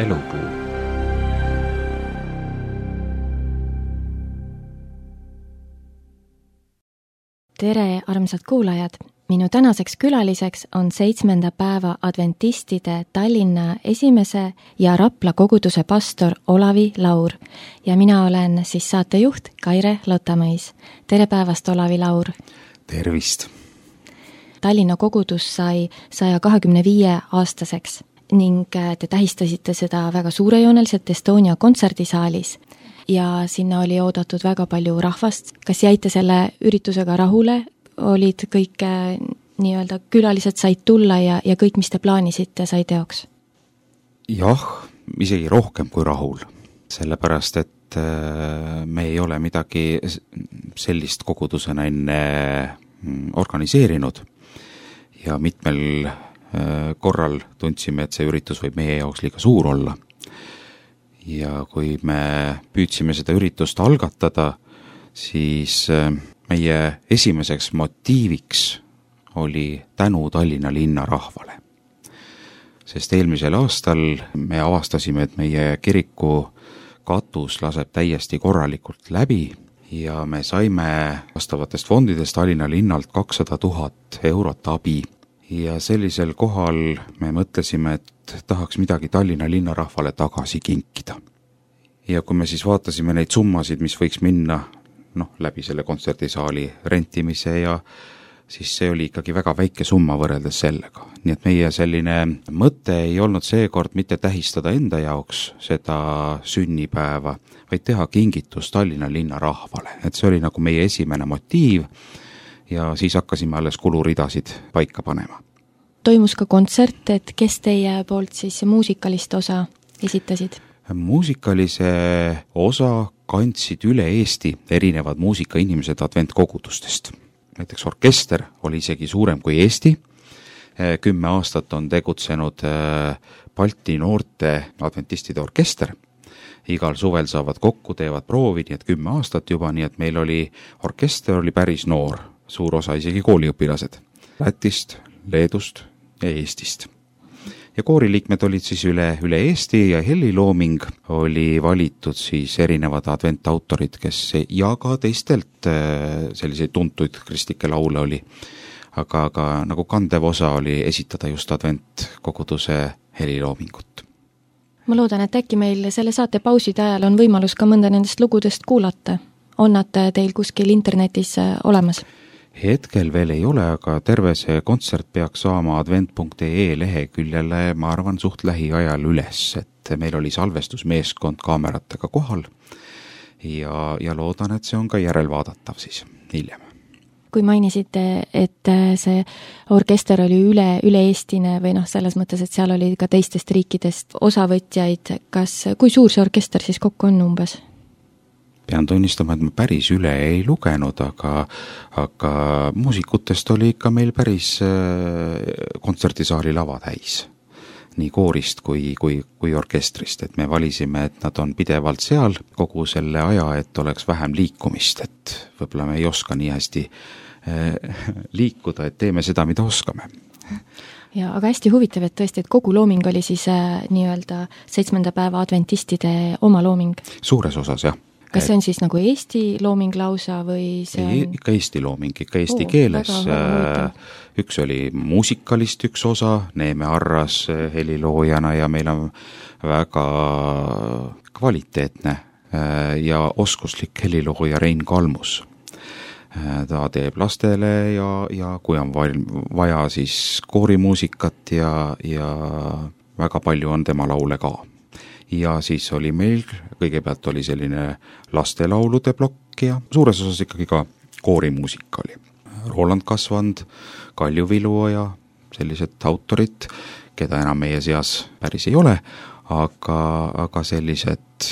Elupuu. Tere, armsad kuulajad! Minu tänaseks külaliseks on 7. päeva adventistide Tallinna esimese ja Rapla koguduse pastor Olavi Laur ja mina olen siis saatejuht Kaire Lotamõis. Tere päevast, Olavi Laur! Tervist! Tallinna kogudus sai 125-aastaseks ning te tähistasite seda väga suurejooneliselt Estonia kontserdisaalis ja sinna oli oodatud väga palju rahvast. Kas jäite selle üritusega rahule? Olid kõik nii-öelda külalised said tulla ja kõik, mis te plaanisite, sai teoks? Jah, isegi rohkem kui rahul. Sellepärast, et me ei ole midagi sellist kogudusena enne organiseerinud ja mitmel korral tundsime, et see üritus võib meie jaoks liiga suur olla. Ja kui me püüdsime seda üritust algatada, siis meie esimeseks motiiviks oli tänu Tallinna linna rahvale. Sest eelmisel aastal me avastasime, et meie kiriku katus laseb täiesti korralikult läbi ja me saime vastavatest fondidest Tallinna linnalt 200 000 eurot abi. Ja sellisel kohal me mõtlesime, et tahaks midagi Tallinna linna rahvale tagasi kinkida. Ja kui me siis vaatasime neid summasid, mis võiks minna läbi selle kontserdisaali rentimise ja siis see oli ikkagi väga väike summa võrreldes sellega. Nii et meie selline mõte ei olnud seekord mitte tähistada enda jaoks seda sünnipäeva, vaid teha kingitus Tallinna linna rahvale. Et see oli nagu meie esimene motiiv ja siis hakkasime alles kuluridasid paika panema. Toimus ka kontsert, et kes teie poolt siis muusikalist osa esitasid? Muusikalise osa kandsid üle Eesti erinevad muusikainimesed adventkogudustest. Näiteks orkester oli isegi suurem kui Eesti. 10 aastat on tegutsenud Balti noorte adventistide orkester. Igal suvel saavad kokku, teevad proovi, nii et 10 aastat juba, nii et meil oli orkester oli päris noor, suur osa isegi kooliõpilased. Lätist, Leedust ja Eestist. Ja kooriliikmed olid siis üle Eesti ja helilooming oli valitud siis erinevad adventautorid, kes ja ka teistelt selliseid tuntuid kristlikke laule oli. Aga nagu kandev osa oli esitada just adventkoguduse heliloomingut. Ma loodan, et äkki meil selle saate pauside ajal on võimalus ka mõnda nendest lugudest kuulata. On nad teil kuskil internetis olemas? Hetkel veel ei ole, aga terve see kontsert peaks saama advent.ee leheküljele, ma arvan, suht lähiajal üles, et meil oli salvestusmeeskond kaameratega kohal ja loodan, et see on ka järelvaadatav siis hiljem. Kui mainisite, et see orkester oli üle-eestine või selles mõttes, et seal oli ka teistest riikidest osavõtjaid, kui suur see orkester siis kokku on umbes? Pean tunnistama, et ma päris üle ei lugenud, aga muusikutest oli ikka meil päris kontserdisaali lava täis. Nii koorist kui orkestrist, et me valisime, et nad on pidevalt seal kogu selle aja, et oleks vähem liikumist, et võib-olla me ei oska nii hästi liikuda, et teeme seda, mida oskame. Ja, aga hästi huvitav, et tõesti, et kogu looming oli siis nii-öelda 7. päeva adventistide oma looming? Suures osas, jah. Kas see on siis nagu Eesti looming lausa või see on... Ikka Eesti looming, ikka eesti keeles. Üks oli muusikalist üks osa, Neeme Arras heliloojana ja meil on väga kvaliteetne ja oskuslik helilooja Rein Kalmus. Ta teeb lastele ja kui on vaja siis koorimuusikat ja väga palju on tema laule ka. Ja siis oli meil, kõigepealt oli selline lastelaulude plokk ja suures osas ikkagi ka koorimuusika oli. Roland Kasvand, Kalju Viluoja, sellised autorid, keda enam meie seas päris ei ole, aga sellised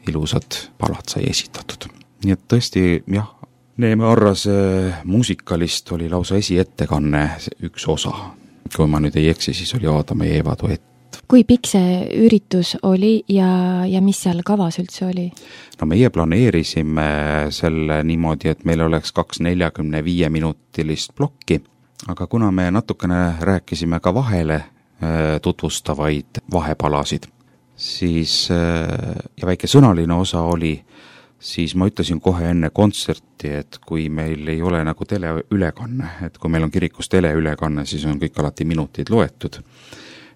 ilusad palad sai esitatud. Nii et tõesti, jah, Neeme Arras muusikalist oli lausa esiettekanne üks osa. Kui ma nüüd ei eksi, siis oli Aadam ja Eeva duett. Kui pikk see üritus oli ja mis seal kavas üldse oli? No meie planeerisime selle niimoodi, et meil oleks 2 45-minutilist plokki, aga kuna me natukene rääkisime ka vahele tutvustavaid vahepalasid, siis ja väike sõnaline osa oli, siis ma ütlesin kohe enne kontserti, et kui meil ei ole nagu teleülekanne, et kui meil on kirikus teleülekanne, siis on kõik alati minutid loetud,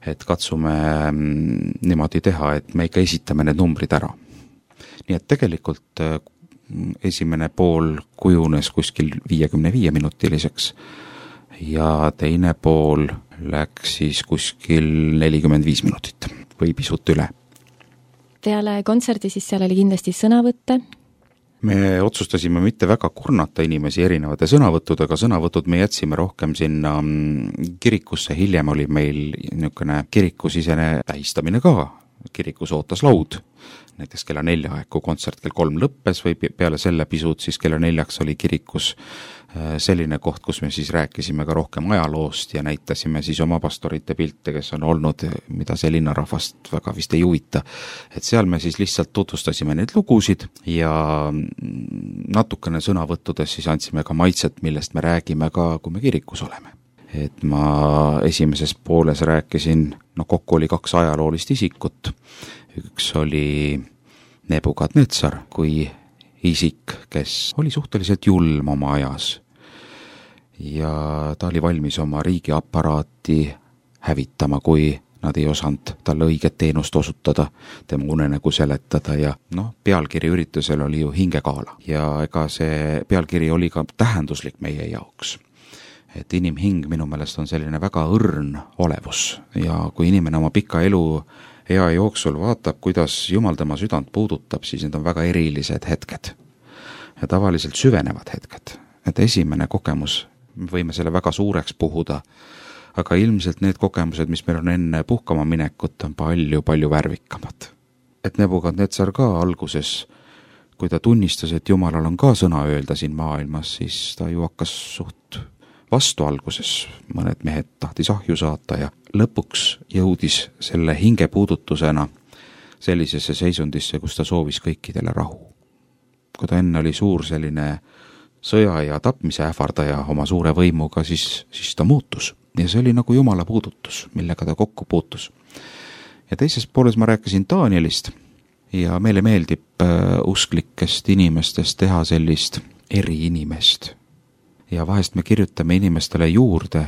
et katsume niimoodi teha, et me ikka esitame need numbrid ära. Nii et tegelikult esimene pool kujunes kuskil 55-minutiliseks ja teine pool läks siis kuskil 45 minutit või pisut üle. Peale kontserdi siis seal oli kindlasti sõnavõtte? Me otsustasime mitte väga kurnata inimesi erinevate sõnavõttudega, sõnavõtud me jätsime rohkem sinna kirikusse, hiljem oli meil niisugune kirikusisene tähistamine ka, kirikus ootas laud, näiteks kella 4 aeg, kui kontsert kell 3 lõppes või peale selle pisut, siis kella 4 oli kirikus selline koht, kus me siis rääkisime ka rohkem ajaloost ja näitasime siis oma pastorite pilte, kes on olnud, mida see linnarahvast väga vist ei huvita. Et seal me siis lihtsalt tutvustasime neid lugusid ja natukene sõnavõttudes siis andsime ka maitset, millest me räägime ka, kui me kirikus oleme. Et ma esimeses pooles rääkisin, kokku oli 2 ajaloolist isikut. Üks oli Nebukadnetsar kui isik, kes oli suhteliselt julm oma ajas ja ta oli valmis oma riigiaparaati hävitama, kui nad ei osanud talle õiget teenust osutada, tema unenägu seletada ja pealkiri üritusel oli ju hingekaala ja ega see pealkiri oli ka tähenduslik meie jaoks. Et inimhing minu meelest on selline väga õrn olevus ja kui inimene oma pika elu ea jooksul vaatab, kuidas Jumal tema südant puudutab, siis need on väga erilised hetked ja tavaliselt süvenevad hetked. Et esimene kogemus, võime selle väga suureks puhuda, aga ilmselt need kogemused, mis meil on enne puhkama minekut, on palju värvikamad. Et Nebukadnetsar ka alguses, kui ta tunnistas, et Jumalal on ka sõna öelda siin maailmas, siis ta ju hakkas suht vastu alguses, mõned mehed tahtis ahju saata ja lõpuks jõudis selle hingepuudutusena sellisesse seisundisse, kus ta soovis kõikidele rahu. Kui ta enne oli suur selline sõja ja tapmise ähvardaja oma suure võimuga, siis ta muutus ja see oli nagu Jumala puudutus, millega ta kokku puutus. Ja teises pooles ma rääkisin Danielist ja meile meeldib usklikest inimestest teha sellist eriinimest. Ja vahest me kirjutame inimestele juurde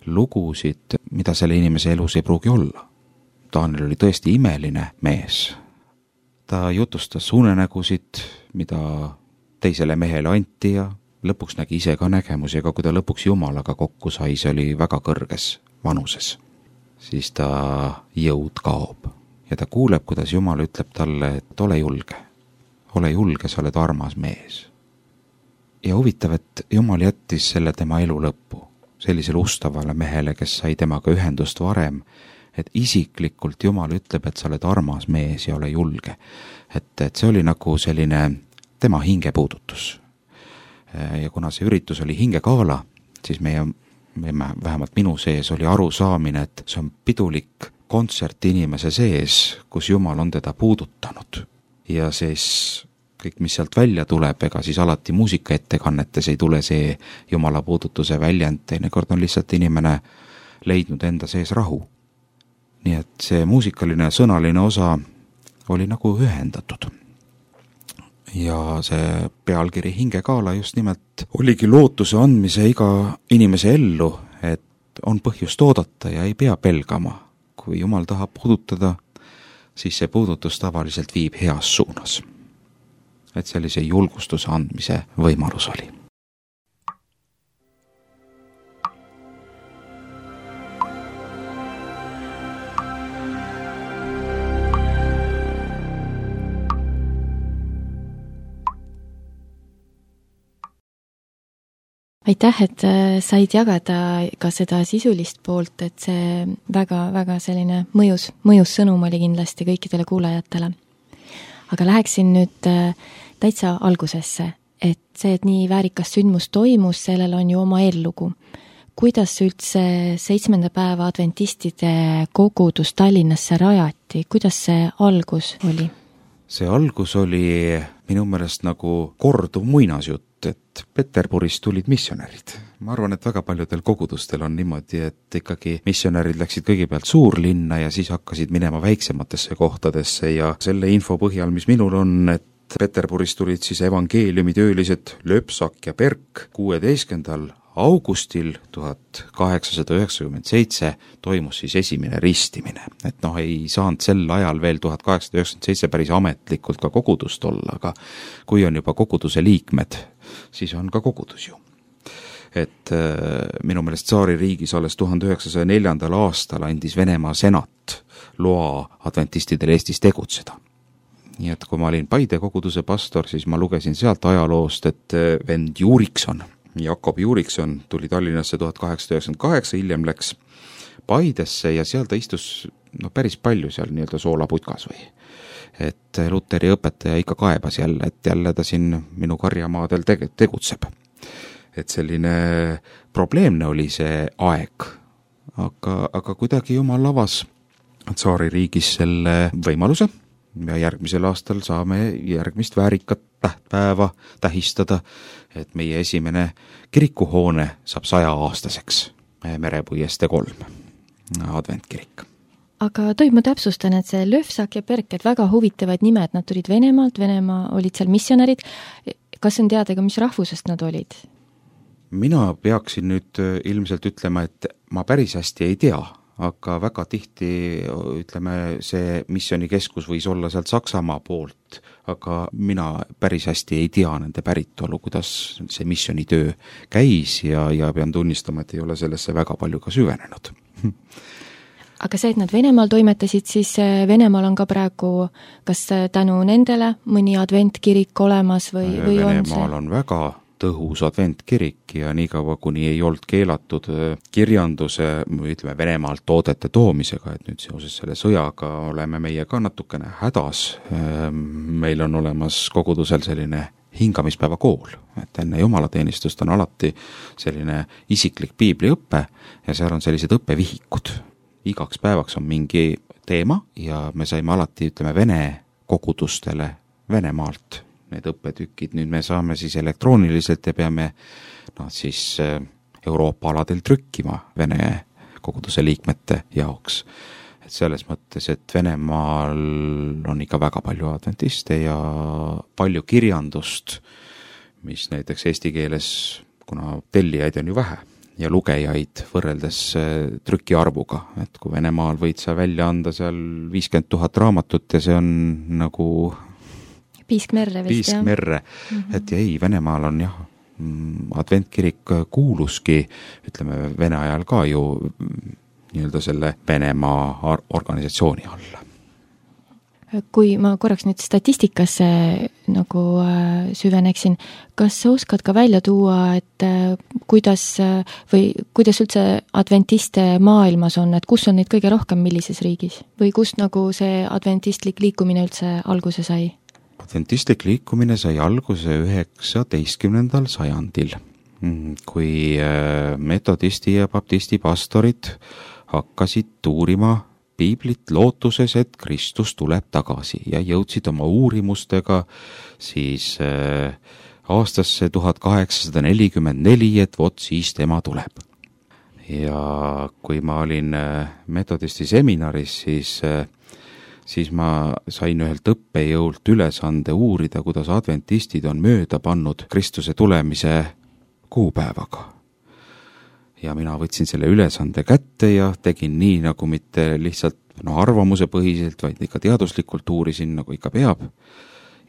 lugusid, mida selle inimese elus ei pruugi olla. Daniel oli tõesti imeline mees. Ta jutustas unenägusid, mida teisele mehele anti ja lõpuks nägi ise ka nägemusi, aga kui ta lõpuks Jumalaga kokku sai, see oli väga kõrges vanuses. Siis ta jõud kaob ja ta kuuleb, kuidas Jumal ütleb talle, et ole julge, sa oled armas mees. Ja huvitav, et Jumal jättis selle tema elu lõppu, sellisele ustavale mehele, kes sai temaga ühendust varem, et isiklikult Jumal ütleb, et sa oled armas mees ja ole julge. Et see oli nagu selline tema hingepuudutus. Ja kuna see üritus oli hingekaala, siis vähemalt minu sees oli arusaamine, et see on pidulik kontsert inimese sees, kus Jumal on teda puudutanud. Ja siis kõik, mis sealt välja tuleb, ega siis alati muusikaettekannetes ei tule see Jumala puudutuse väljend, teinekord on lihtsalt inimene leidnud enda sees rahu. Nii et see muusikaline sõnaline osa oli nagu ühendatud. Ja see pealkiri hingekaala just nimelt oligi lootuse andmise iga inimese ellu, et on põhjust oodata ja ei pea pelgama. Kui Jumal tahab puudutada, siis see puudutus tavaliselt viib heas suunas. Et sellise julgustuse andmise võimalus oli. Aitäh, et said jagada ka seda sisulist poolt, et see väga selline mõjus sõnum oli kindlasti kõikidele kuulajatele. Aga läheksin nüüd täitsa algusesse, et see, et nii väärikas sündmus toimus, sellel on ju oma eellugu. Kuidas üldse 7. päeva adventistide kogudus Tallinnasse rajati? Kuidas see algus oli? See algus oli minu meelest nagu korduv muinasjutt. jutt, et Peterburis tulid missionärid. Ma arvan, et väga paljudel kogudustel on niimoodi, et ikkagi missionärid läksid kõigepealt suurlinna ja siis hakkasid minema väiksematesse kohtadesse ja selle info põhjal, mis minul on, et Peterburis tulid siis evangeeliumitöölised Löpsak ja Berk 16. augustil 1897 toimus siis esimene ristimine. Et ei saanud sel ajal veel 1897 päris ametlikult ka kogudust olla, aga kui on juba koguduse liikmed, siis on ka kogudus ju. Et minu meelest tsaaririigis alles 1904. aastal andis Venemaa senat loa adventistidel Eestis tegutseda. Nii et kui ma olin Paide koguduse pastor, siis ma lugesin sealt ajaloost, et vend Juurikson, Jakob Juurikson tuli Tallinnasse 1898, hiljem läks Paidesse ja seal ta istus päris palju seal nii-öelda soolaputkas või. Et Luteri õpetaja ikka kaebas jälle, et jälle ta siin minu karjamaadel tegutseb. Et selline probleemne oli see aeg, aga kuidagi Jumal avas tsaaririigis selle võimaluse ja järgmisel aastal saame järgmist väärikat tähtpäeva tähistada, et meie esimene kirikuhoone saab 100-aastaseks, Merepuiestee 3 adventkirik. Aga tohib, ma täpsustan, et see Löfsak ja Berk, et väga huvitavad nimed, nad tulid Venemaalt, Venemaa olid seal missionärid. Kas on teada ka, mis rahvusest nad olid? Mina peaksin nüüd ilmselt ütlema, et ma päris hästi ei tea, aga väga tihti, ütleme, see missioonikeskus võis olla sealt Saksamaa poolt, aga mina päris hästi ei tea nende päritolu, kuidas see missioonitöö käis ja pean tunnistama, et ei ole sellesse väga palju ka süvenenud. Aga see, et nad Venemaal toimetasid, siis Venemaal on ka praegu kas tänu nendele mõni adventkirik olemas või Venemaal on see? on väga tõhus adventkirik ja nii kaua, kuni ei olnud keelatud kirjanduse, ütleme, Venemaalt toodete toomisega, et nüüd seoses selle sõjaga oleme meie ka natukene hädas. Meil on olemas kogudusel selline hingamispäeva kool, et enne jumalateenistust on alati selline isiklik piibliõppe ja seal on sellised õppevihikud. Igaks päevaks on mingi teema ja me saime alati, ütleme, vene kogudustele Venemaalt need õppetükid, nüüd me saame siis elektrooniliselt ja peame siis Euroopa aladel trükkima vene koguduse liikmete jaoks. Et selles mõttes, et Venemaal on ikka väga palju adventiste ja palju kirjandust, mis näiteks eesti keeles, kuna tellijaid on ju vähe ja lugejaid võrreldes trükiarvuga, et kui Venemaal võid sa välja anda seal 50 000 raamatut ja see on nagu Piiskmerre vist, jah? Piiskmerre, et ei, Venemaal on jah, adventkirik kuuluski, ütleme, Vene ajal ka ju nii-öelda selle Venemaa organisatsiooni alla. Kui ma korraks nüüd statistikasse nagu süveneksin, kas sa oskad ka välja tuua, et kuidas üldse adventiste maailmas on, et kus on neid kõige rohkem, millises riigis? Või kust nagu see adventistlik liikumine üldse alguse sai? Adventistlik liikumine sai alguse 19. sajandil, kui metodisti ja baptisti pastorid hakkasid uurima piiblit lootuses, et Kristus tuleb tagasi ja jõudsid oma uurimustega siis aastasse 1844, et vot siis tema tuleb. Ja kui ma olin metodisti seminaris, siis ma sain ühelt õppejõult ülesande uurida, kuidas adventistid on mööda pannud Kristuse tulemise kuupäevaga. Ja mina võtsin selle ülesande kätte ja tegin nii, nagu mitte lihtsalt arvamuse põhiselt, vaid ikka teaduslikult uurisin, nagu ikka peab.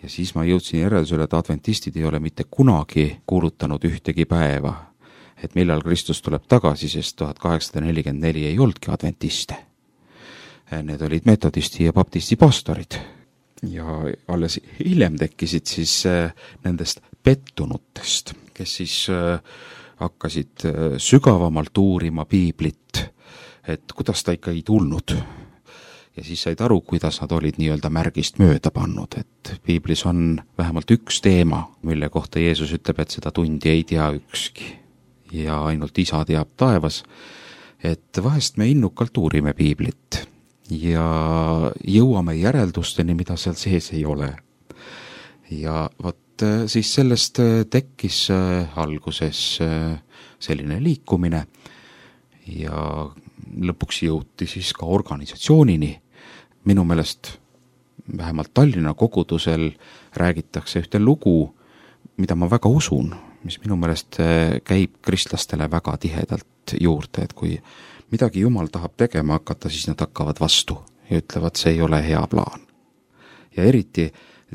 Ja siis ma jõudsin järeldusele, et adventistid ei ole mitte kunagi kuulutanud ühtegi päeva, et millal Kristus tuleb tagasi, sest 1844 ei oldki adventiste. Need olid metodisti ja baptisti pastorid ja alles hiljem tekkisid siis nendest pettunutest, kes siis hakkasid sügavamalt uurima piiblit, et kuidas ta ikka ei tulnud. Ja siis said aru, kuidas nad olid nii-öelda märgist mööda pannud, et piiblis on vähemalt üks teema, mille kohta Jeesus ütleb, et seda tundi ei tea ükski ja ainult Isa teab taevas, et vahest me innukalt uurime piiblit ja jõuame järeldusteni, mida seal sees ei ole. Ja vot et siis sellest tekkis alguses selline liikumine ja lõpuks jõuti siis ka organisatsioonini. Minu meelest vähemalt Tallinna kogudusel räägitakse ühte lugu, mida ma väga usun, mis minu meelest käib kristlastele väga tihedalt juurde, et kui midagi Jumal tahab tegema hakata, siis nad hakkavad vastu ja ütlevad, see ei ole hea plaan. Ja eriti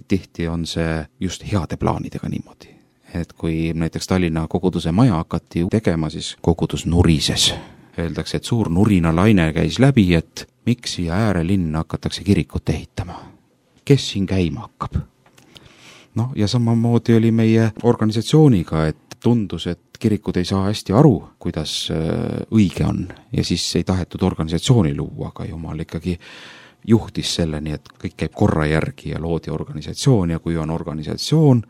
tihti on see just heade plaanidega niimoodi, et kui näiteks Tallinna koguduse maja hakati tegema, siis kogudus nurises. Öeldakse, et suur nurinalaine käis läbi, et miks siia äärelinna hakatakse kirikut ehitama. Kes siin käima hakkab? No ja samamoodi oli meie organisatsiooniga, et tundus, et kirikud ei saa hästi aru, kuidas õige on ja siis ei tahetud organisatsiooni luua, aga Jumal ikkagi juhtis selleni, et kõik käib korra järgi ja loodi organisatsioon ja kui on organisatsioon,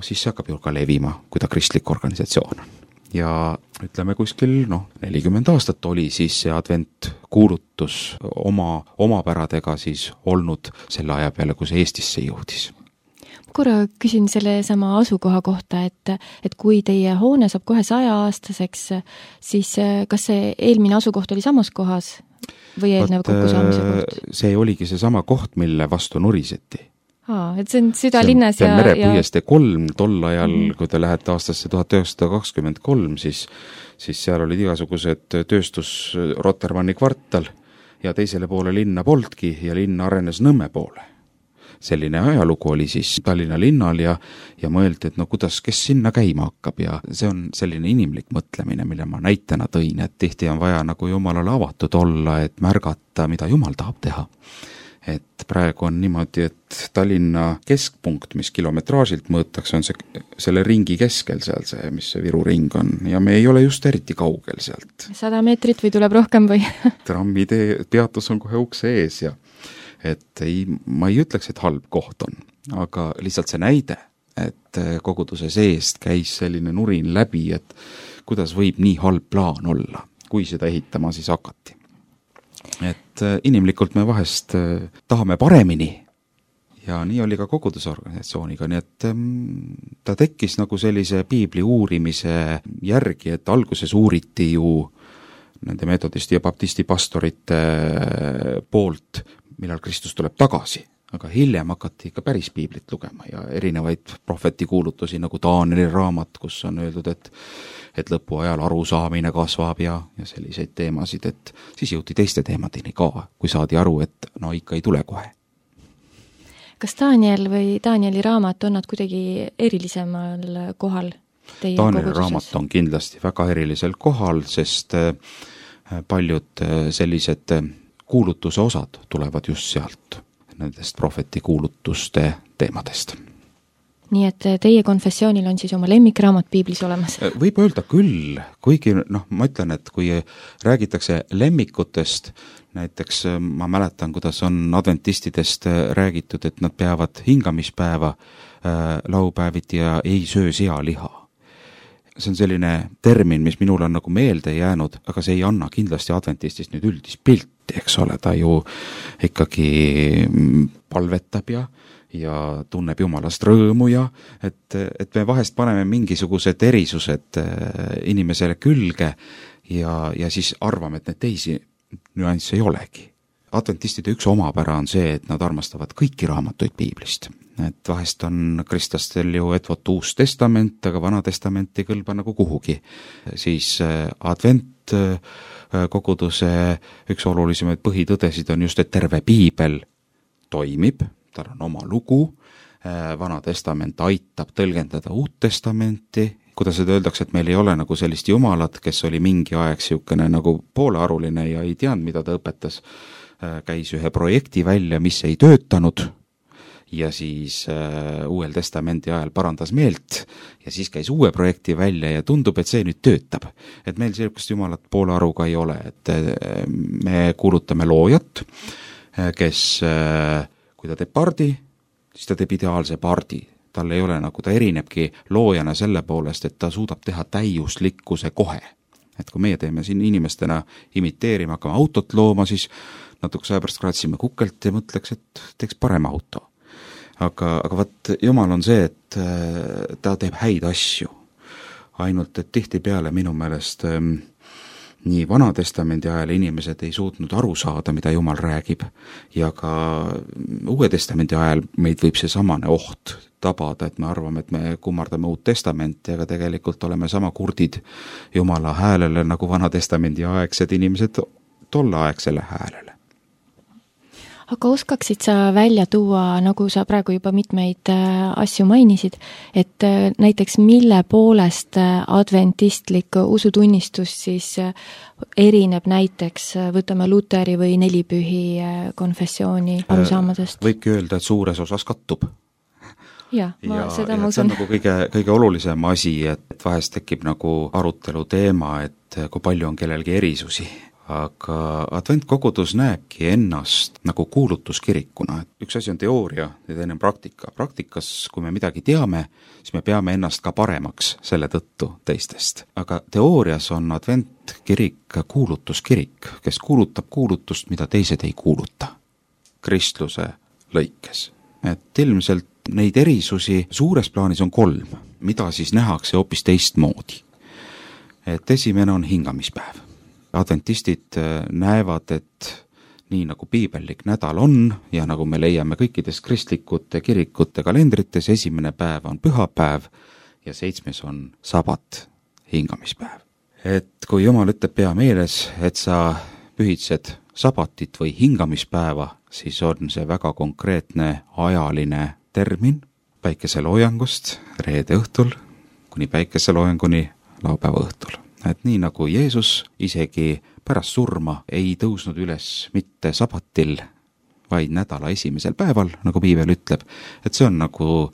siis see hakkab ju ka levima, kui ta kristlik organisatsioon on. Ja ütleme kuskil 40 aastat oli siis see adventkuulutus oma päradega siis olnud selle aja peale, kui see Eestisse jõudis. Korra küsin selle sama asukoha kohta, et kui teie hoone saab kohe 100-aastaseks, siis kas see eelmine asukoht oli samas kohas või eelnev kokkusaamise koht? See oligi see sama koht, mille vastu nuriseti. Et see on südalinnas ja Merepõieste 3 tol ajal, kui te lähete aastasse 1923, siis seal olid igasugused tööstus Rotermanni kvartal ja teisele poole linna poltki ja linn arenes Nõmme poole. Selline ajalugu oli siis Tallinna linnal ja mõeldi, et kes sinna käima hakkab ja see on selline inimlik mõtlemine, mille ma näitena tõin, et tihti on vaja nagu Jumalale avatud olla, et märgata, mida Jumal tahab teha. Et praegu on niimoodi, et Tallinna keskpunkt, mis kilometraažilt mõõtakse, on selle ringi keskel seal see, mis see Viru ring on ja me ei ole just eriti kaugel sealt. 100 meetrit või tuleb rohkem või? Trammitee peatus on kohe ukse ees ja et ma ei ütleks, et halb koht on, aga lihtsalt see näide, et koguduse seest käis selline nurin läbi, et kuidas võib nii halb plaan olla, kui seda ehitama siis hakati. Et inimlikult me vahest tahame paremini ja nii oli ka kogudusorganisatsiooniga, nii et ta tekkis nagu sellise piibli uurimise järgi, et alguses uuriti ju nende metodisti ja baptisti pastorite poolt, millal Kristus tuleb tagasi, aga hiljem hakati ikka päris piiblit lugema ja erinevaid prohvetikuulutusi nagu Taanieli raamat, kus on öeldud, et lõpuajal arusaamine kasvab ja selliseid teemasid, et siis jõuti teiste teemadeni ka, kui saadi aru, et ikka ei tule kohe. Kas Taaniel või Taanieli raamat on nad kuidagi erilisemal kohal teie Taanieli koguduses? Raamat on kindlasti väga erilisel kohal, sest paljud sellised kuulutuse osad tulevad just sealt, nendest prohvetikuulutuste teemadest. Nii et teie konfessioonil on siis oma lemmikraamat piiblis olemas? Võib öelda küll, kuigi ma ütlen, et kui räägitakse lemmikutest, näiteks ma mäletan, kuidas on adventistidest räägitud, et nad peavad hingamispäeva laupäeviti ja ei söö sealiha. See on selline termin, mis minul on nagu meelde jäänud, aga see ei anna kindlasti adventistist nüüd üldist pilti, eks ole, ta ju ikkagi palvetab ja tunneb Jumalast rõõmu ja et me vahest paneme mingisugused erisused inimesele külge ja siis arvame, et need teisi nüansse ei olegi. Adventistide üks omapära on see, et nad armastavad kõiki raamatuid piiblist. Et vahest on kristlastel ju etvot Uus Testament, aga Vana Testament ei kõlba nagu kuhugi. Siis advent koguduse üks olulisemaid põhitõdesid on just, et terve piibel toimib, tal on oma lugu, Vana Testament aitab tõlgendada Uut Testamenti, kuidas seda öeldakse, et meil ei ole nagu sellist jumalat, kes oli mingi aeg siukene nagu poolearuline ja ei teadnud, mida ta õpetas, käis ühe projekti välja, mis ei töötanud ja siis Uuel Testamendi ajal parandas meelt ja siis käis uue projekti välja ja tundub, et see nüüd töötab. Et meil sellist jumalat poolearuga ei ole, et me kuulutame loojat, kes kui ta teeb pardi, siis ta teeb ideaalse pardi. Tal ei ole nagu, ta erinebki loojana selle poolest, et ta suudab teha täiuslikkuse kohe. Et kui meie teeme siin inimestena imiteerima, hakkame autot looma, siis natuke aja pärast kraatsime kukelt ja mõtleks, et teeks parem auto. aga vaat Jumal on see, et ta teeb häid asju. Ainult, et tihtipeale minu meelest nii Vana-testamendi ajal inimesed ei suutnud aru saada, mida Jumal räägib, ja ka Uue testamendi ajal meid võib see samane oht tabada, et me arvame, et me kummardame Uut testamenti, aga tegelikult oleme sama kurdid Jumala häälele nagu Vana-testamendi aegsed inimesed tolleaegsele häälele. Aga oskaksid sa välja tuua, nagu sa praegu juba mitmeid asju mainisid, et näiteks mille poolest adventistlik usutunnistus siis erineb näiteks, võtame Luteri või nelipühi konfessiooni arusaamadest? Võibki öelda, et suures osas kattub. Ja ma usun. See on nagu kõige olulisem asi, et vahest tekib nagu arutelu teema, et kui palju on kellelgi erisusi. Aga adventkogudus näebki ennast nagu kuulutuskirikuna. Üks asi on teooria ja teine on praktika. Praktikas, kui me midagi teame, siis me peame ennast ka paremaks selle tõttu teistest. Aga teoorias on adventkirik kuulutuskirik, kes kuulutab kuulutust, mida teised ei kuuluta kristluse lõikes. Et ilmselt neid erisusi suures plaanis on 3, mida siis nähakse hoopis teistmoodi. Et esimene on hingamispäev. Adventistid näevad, et nii nagu piibellik nädal on ja nagu me leiame kõikides kristlikute kirikute kalendrites, esimene päev on pühapäev ja 7. on sabat, hingamispäev. Et kui Jumal ütleb pea meeles, et sa pühitsed sabatit või hingamispäeva, siis on see väga konkreetne ajaline termin päikeseloojangust reede õhtul kuni päikeseloojanguni laupäeva õhtul. Et nii nagu Jeesus isegi pärast surma ei tõusnud üles mitte sabatil, vaid nädala esimesel päeval, nagu piibel ütleb, et see on nagu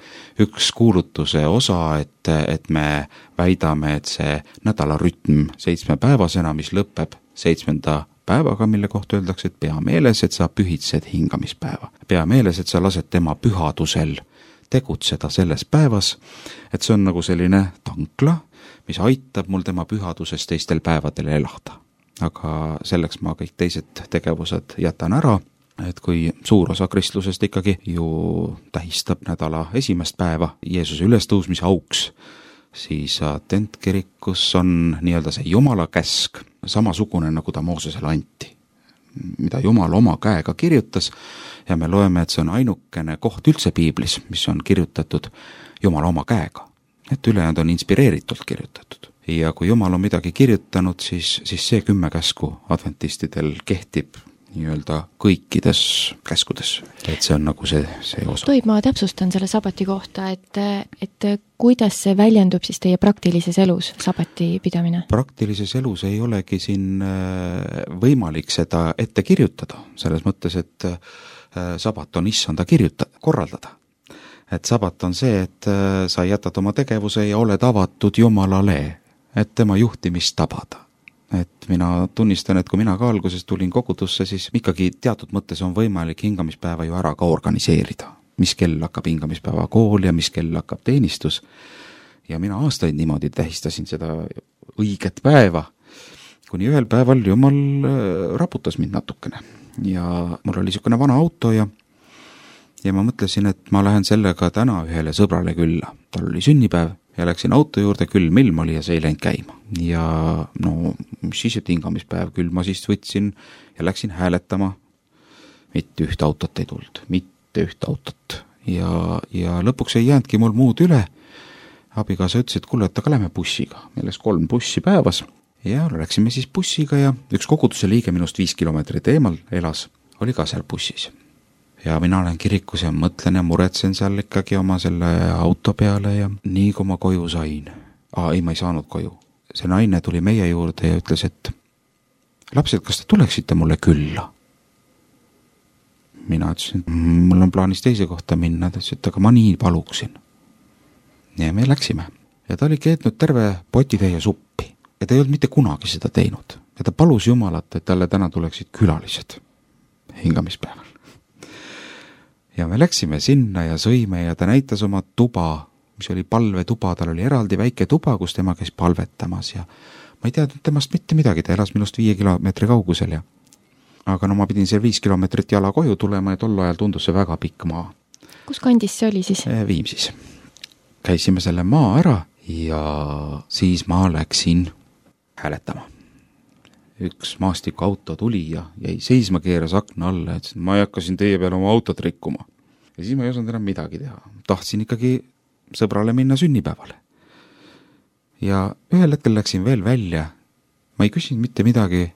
üks kuulutuse osa, et me väidame, et see nädala rütm 7 päevasena, mis lõpeb 7. päevaga, mille kohta öeldakse, et pea meeles, et sa pühitsed hingamispäeva. Pea meeles, et sa lased tema pühadusel tegutseda selles päevas, et see on nagu selline tankla, mis aitab mul tema pühaduses teistel päevadel elada. Aga selleks ma kõik teised tegevused jätan ära, et kui suur osa kristlusest ikkagi ju tähistab nädala esimest päeva Jeesuse ülestõusmise auks, siis adventkirikus on nii-öelda see Jumala käsk samasugune, nagu ta Moosesele anti, mida Jumal oma käega kirjutas, ja me loeme, et see on ainukene koht üldse piiblis, mis on kirjutatud Jumala oma käega. Et ülejäänud on inspireeritult kirjutatud. Ja kui Jumal on midagi kirjutanud, siis see 10 käsku adventistidel kehtib nii-öelda kõikides käskudes. Et see on nagu see osa. Toib, ma täpsustan selle sabati kohta, et kuidas see väljendub siis teie praktilises elus, sabati pidamine? Praktilises elus ei olegi siin võimalik seda ette kirjutada, selles mõttes, et sabat on issanda korraldada. Et sabat on see, et sa jätad oma tegevuse ja oled avatud Jumalale, et tema juhtimist tabada. Et mina tunnistan, et kui mina ka alguses tulin kogudusse, siis ikkagi teatud mõttes on võimalik hingamispäeva ju ära ka organiseerida. Mis kell hakkab hingamispäeva kool ja mis kell hakkab teenistus. Ja mina aastaid niimoodi tähistasin seda õiget päeva, kuni ühel päeval Jumal raputas mind natukene. Ja mul oli niisugune vana auto ja ma mõtlesin, et ma lähen sellega täna ühele sõbrale külla. Tal oli sünnipäev ja läksin auto juurde, külm ilm oli ja see ei läinud käima. Ja no, mis siis, et hingamispäev, küll ma siis võtsin ja läksin hääletama. Mitte üht autot ei tulnud, mitte üht autot. Ja lõpuks ei jäänudki mul muud üle. Abikaasa ütles, et kuule, et aga lähme bussiga. Meil läks 3 bussi päevas ja läksime siis bussiga ja üks koguduse liige minust 5 kilomeetrit eemal elas, oli ka seal bussis. Ja mina olen kirikus ja mõtlen ja muretsen seal ikkagi oma selle auto peale ja nii kui ma koju sain. Ei, ma ei saanud koju. See naine tuli meie juurde ja ütles, et lapsed, kas te tuleksite mulle külla? Mina ütlesin, et mul on plaanis teise kohta minna. Ta ütles, et aga ma nii paluksin. Ja me läksime. Ja ta oli keetnud terve potitäie suppi. Ja ta ei olnud mitte kunagi seda teinud. Ja ta palus Jumalat, et talle täna tuleksid külalised hingamispäeval. Ja me läksime sinna ja sõime ja ta näitas oma tuba, mis oli palvetuba, tal oli eraldi väike tuba, kus tema käis palvetamas ja ma ei teadnud temast mitte midagi, ta elas minust 5 kilomeetri kaugusel aga no ma pidin seal 5 kilomeetrit jala koju tulema ja tol ajal tundus see väga pikk maa. Kus kandis see oli siis? Viimsis. Käisime selle maa ära ja siis ma läksin hääletama. Üks maastikuauto tuli ja jäi seisma, keeras akna alla ja ütles, et ma ei hakka siin teie peale oma autot rikkuma. Ja siis ma ei osanud enam midagi teha. Tahtsin ikkagi sõbrale minna sünnipäevale. Ja ühel hetkel läksin veel välja. Ma ei küsinud mitte midagi.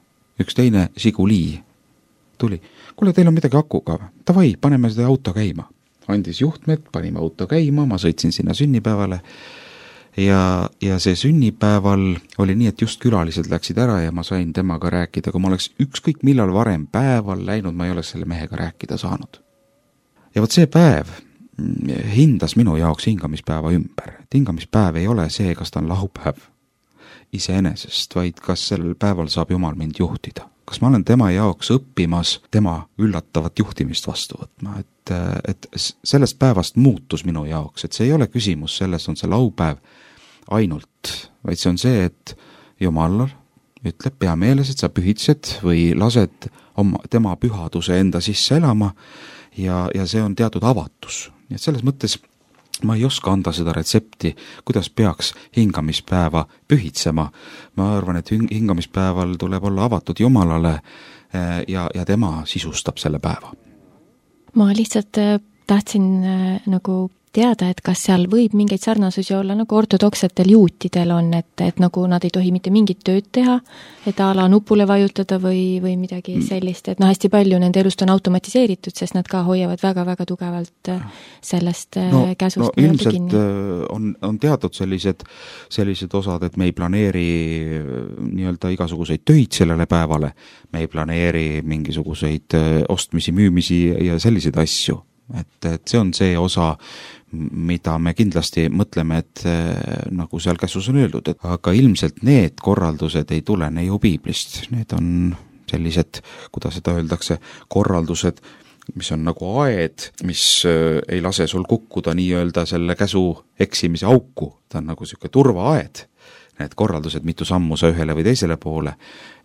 Üks teine Žiguli tuli. Kuule, teil on midagi akuga. Tavai, paneme seda auto käima. Andis juhtmed, panime auto käima, ma sõitsin sinna sünnipäevale. Ja see sünnipäeval oli nii, et just külalised läksid ära ja ma sain temaga rääkida. Kui ma oleks ükskõik millal varem päeval läinud, ma ei oleks selle mehega rääkida saanud. Ja võt see päev hindas minu jaoks hingamispäeva ümber. Hingamispäev ei ole see, kas ta on laupäev iseenesest, vaid kas sellel päeval saab Jumal mind juhtida. Kas ma olen tema jaoks õppimas tema üllatavat juhtimist vastu võtma, et sellest päevast muutus minu jaoks, et see ei ole küsimus, sellest on see laupäev ainult, vaid see on see, et Jumal ütleb pea meeles, et sa pühitsed või lased tema pühaduse enda sisse elama ja see on teatud avatus. Nii et selles mõttes ma ei oska anda seda retsepti, kuidas peaks hingamispäeva pühitsema. Ma arvan, et hingamispäeval tuleb olla avatud Jumalale ja tema sisustab selle päeva. Ma lihtsalt tahtsin nagu teada, et kas seal võib mingeid sarnasusi olla, nagu ortodoksetel juutidel on, et nagu nad ei tohi mitte mingit tööd teha, et ala nupule vajutada või midagi sellist, et hästi palju nende elust on automatiseeritud, sest nad ka hoiavad väga-väga tugevalt sellest käsust. No ilmselt on teatud sellised osad, et me ei planeeri nii-öelda igasuguseid töid sellele päevale, me ei planeeri mingisuguseid ostmisi, müümisi ja selliseid asju. Et see on see osa, mida me kindlasti mõtleme, et nagu seal käsus on öeldud, aga ilmselt need korraldused ei tulene ju piiblist. Need on sellised, kuidas seda öeldakse, korraldused, mis on nagu aed, mis ei lase sul kukkuda nii-öelda selle käsu eksimise auku. Ta on nagu selline turvaaed. Need korraldused, mitu sammu sa ühele või teisele poole.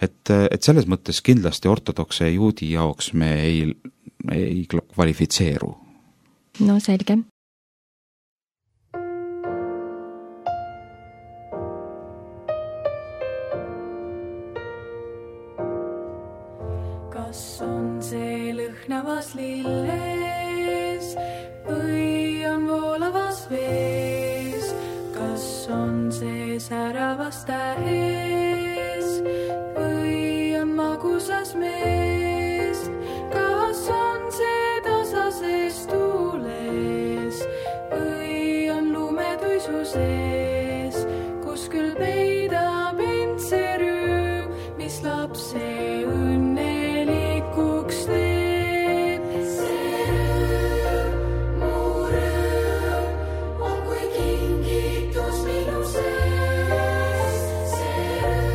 Et selles mõttes kindlasti ortodokse juudi jaoks me ei kvalifitseeru. No selge. Kas on see lõhnavas lilles või on voolavas vees? Kas on see säravas tähes või on magusas mees? Kas on see tasases tuules või on lumetuisu sees, kus küll peidab end see rüüm, mis lapse õnnelikuks teeb. See rüüm, mu rüüm, on kui kingitus minu sees. See rüüm,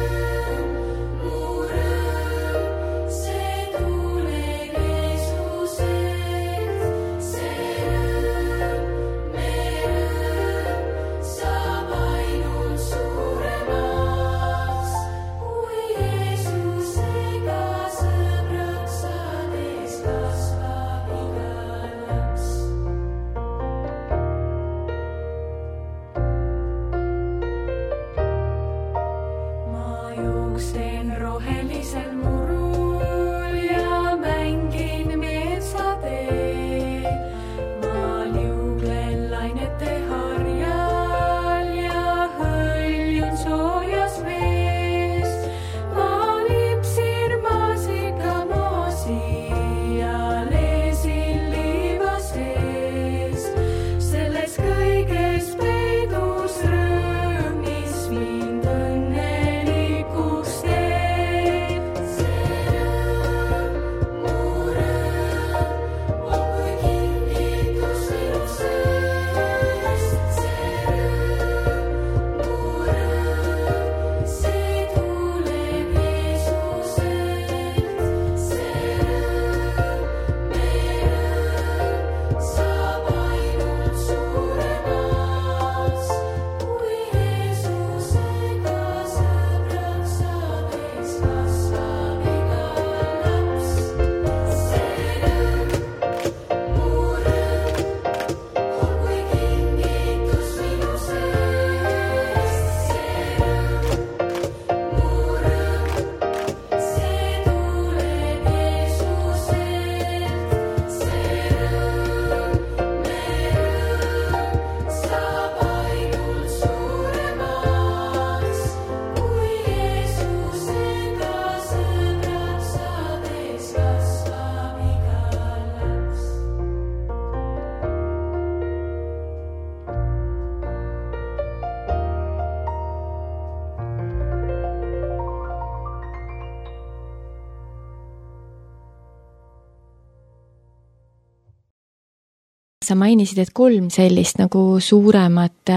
Sa mainisid, et 3 sellist nagu suuremat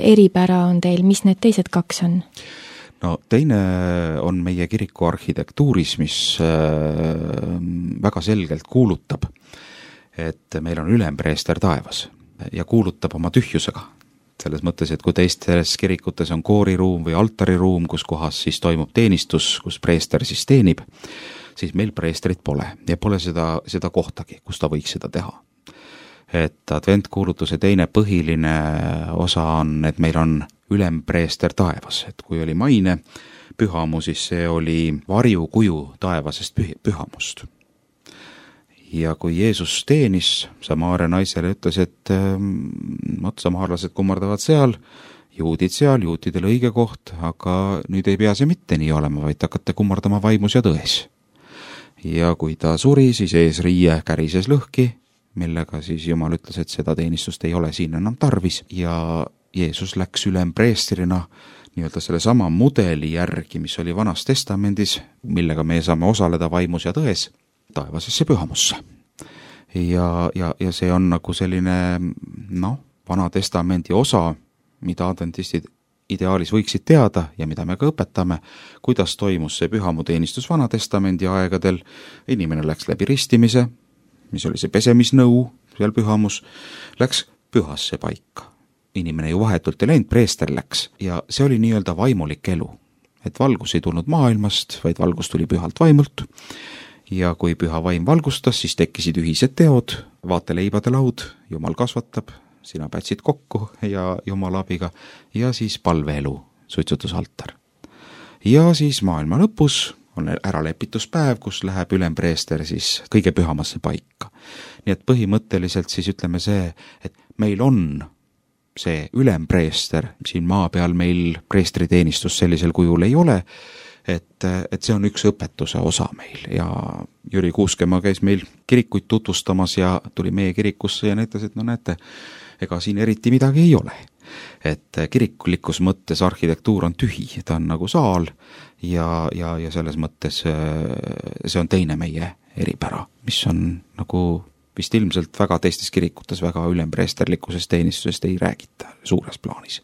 eripära on teil, mis need teised 2 on? No teine on meie kiriku arhitektuuris, mis väga selgelt kuulutab, et meil on ülempreester taevas ja kuulutab oma tühjusega. Selles mõttes, et kui teistes kirikutes on kooriruum või altariruum, kus kohas siis toimub teenistus, kus preester siis teenib, siis meil preestrit pole ja pole seda kohtagi, kus ta võiks seda teha. Et adventkuulutuse teine põhiline osa on, et meil on ülempreester taevas, et kui oli maine pühamu, siis see oli varjukuju taevasest pühamust. Ja kui Jeesus teenis, Samaaria naisele ütles, et samaarlased kummardavad seal, juutidel õige koht, aga nüüd ei pea see mitte nii olema, vaid hakkate kummardama vaimus ja tões. Ja kui ta suri, siis eesriie kärises lõhki, millega siis Jumal ütles, et seda teenistust ei ole siin enam tarvis ja Jeesus läks ülempreestrina nii-öelda selle sama mudeli järgi, mis oli Vanas Testamendis, millega me saame osaleda vaimus ja tões, taevasesse pühamusse. Ja see on nagu selline Vana Testamendi osa, mida adventistid ideaalis võiksid teada ja mida me ka õpetame, kuidas toimus see pühamuteenistus Vana Testamendi aegadel. Inimene läks läbi ristimise, mis oli see pesemisnõu seal pühamus, läks pühasse paika. Inimene ju vahetult ei läinud, preester läks ja see oli nii-öelda vaimulik elu. Et valgus ei tulnud maailmast, vaid valgus tuli pühalt vaimult ja kui püha vaim valgustas, siis tekkisid ühised teod, vaateleibade laud, Jumal kasvatab, sina pätsid kokku ja Jumala abiga ja siis palveelu, suitsutusaltar. Ja siis maailma lõpus on äralepituspäev, kus läheb ülempreester siis kõige pühamasse paika. Nii et põhimõtteliselt siis ütleme see, et meil on see ülempreester, siin maa peal meil preestriteenistus sellisel kujul ei ole, et see on üks õpetuse osa meil ja Jüri Kuuskemaa käis meil kirikuid tutvustamas ja tuli meie kirikusse ja näitas, et näete, ega siin eriti midagi ei ole. Et kirikulikus mõttes arhitektuur on tühi, ta on nagu saal ja selles mõttes see on teine meie eripära, mis on nagu vist ilmselt väga teistes kirikutes väga ülempreesterlikkusest teenistusest ei räägita suures plaanis.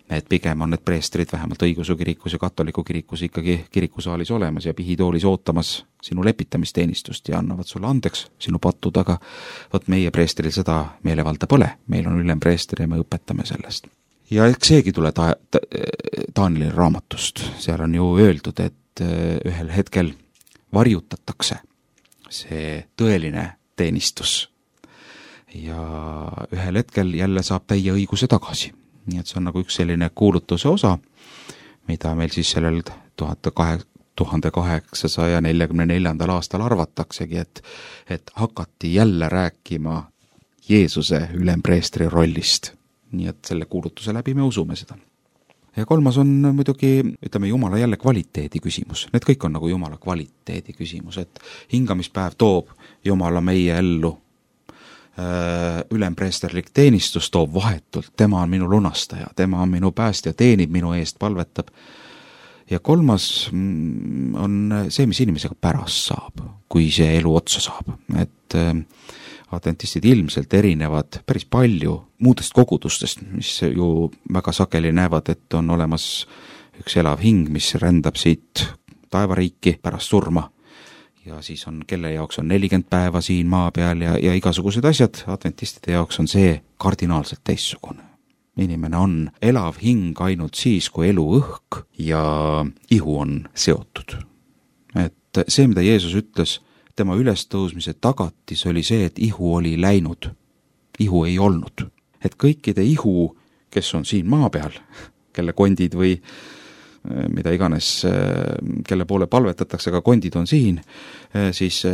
Et pigem on need preestrid vähemalt õigeusu kirikus ja katoliku kirikus ikkagi kirikusaalis olemas ja pihitoolis ootamas sinu lepitamisteenistust ja annavad sulle andeks sinu patud, aga võt meie preestril seda meelevalda pole, meil on ülempreester ja me õpetame sellest. Ja eks seegi tule Taanili raamatust, seal on ju öeldud, et ühel hetkel varjutatakse see tõeline teenistus ja ühel hetkel jälle saab täie õiguse tagasi. Nii et see on nagu üks selline kuulutuse osa, mida meil siis sellel 1844. aastal arvataksegi, et hakati jälle rääkima Jeesuse ülempreestri rollist. Nii et selle kuulutuse läbi me usume seda. Ja kolmas on muidugi, ütleme, Jumala jälle kvaliteedi küsimus. Need kõik on nagu Jumala kvaliteedi küsimus, et hingamispäev toob Jumala meie ellu ülempreesterlik teenistus toob vahetult, tema on minu lunastaja, tema on minu päästja, teenib minu eest, palvetab. Ja kolmas on see, mis inimesega pärast saab, kui see elu otsa saab. Et adventistid ilmselt erinevad päris palju muudest kogudustest, mis ju väga sageli näevad, et on olemas üks elav hing, mis rändab siit taevariiki pärast surma. Ja siis on, kelle jaoks on 40 päeva siin maa peal ja igasugused asjad, adventistide jaoks on see kardinaalselt teissugune. Inimene on elav hing ainult siis, kui elu õhk ja ihu on seotud. Et see, mida Jeesus ütles, tema ülestõusmise tagatis oli see, et ihu oli läinud. Ihu ei olnud. Et kõikide ihu, kes on siin maa peal, kelle kondid või mida iganes, kelle poole palvetatakse, aga kondid on siin, siis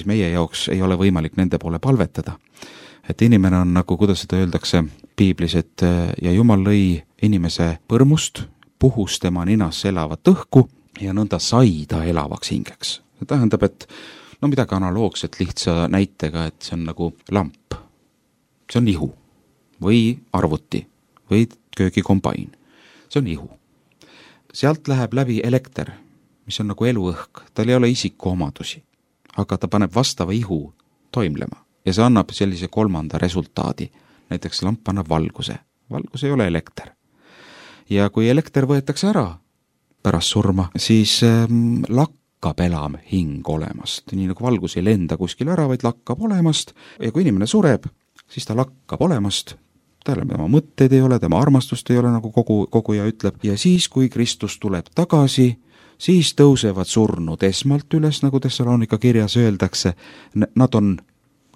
meie jaoks ei ole võimalik nende poole palvetada. Et inimene on nagu, kuidas seda öeldakse piiblis, et ja Jumal lõi inimese põrmust, puhus tema ninas elavat õhku ja nõnda sai ta elavaks hingeks. See tähendab, et midagi analoogset lihtsa näitega, et see on nagu lamp. See on ihu või arvuti või köögikombain. See on ihu. Sealt läheb läbi elekter, mis on nagu eluõhk, tal ei ole isiku omadusi, aga ta paneb vastava ihu toimlema. ja see annab sellise kolmanda resultaadi. Näiteks lamp annab valguse. Valgus ei ole elekter. Ja kui elekter võetakse ära pärast surma, siis lakkab elam hing olemast. Nii nagu valgus ei lenda kuskil ära, vaid lakkab olemast. Ja kui inimene sureb, siis ta lakkab olemast. Tema mõtteid ei ole, tema armastust ei ole, nagu koguja ütleb. Ja siis, kui Kristus tuleb tagasi, siis tõusevad surnud esmalt üles, nagu Thessalonika kirjas öeldakse. Nad on,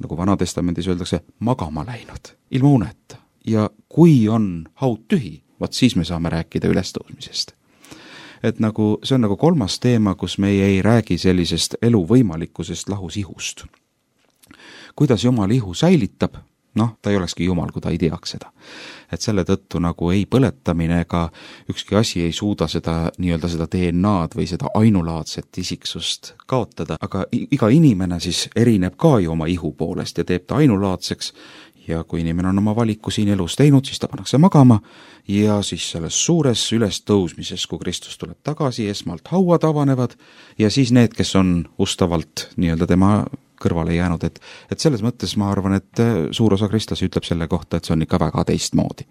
nagu Vanatestamendis öeldakse, magama läinud, ilma uneta. Ja kui on haud tühi, vaat siis me saame rääkida ülestõusmisest. Et nagu, see on nagu kolmas teema, kus me ei räägi sellisest elu võimalikkusest lahus ihust. Kuidas Jumal ihu säilitab? Ta ei olekski Jumal, kui ta ei teaks seda. Et selle tõttu nagu ei põletamine ega ükski asi ei suuda seda nii-öelda seda DNA-d või seda ainulaadset isiksust kaotada, aga iga inimene siis erineb ka ju oma ihu poolest ja teeb ta ainulaadseks. Ja kui inimene on oma valiku siin elus teinud, siis ta pannakse magama ja siis selles suures ülestõusmises, kui Kristus tuleb tagasi, esmalt hauad avanevad ja siis need, kes on ustavalt nii-öelda tema kõrvale jäänud, et selles mõttes ma arvan, et suur osa kristlasi ütleb selle kohta, et see on ikka väga teistmoodi.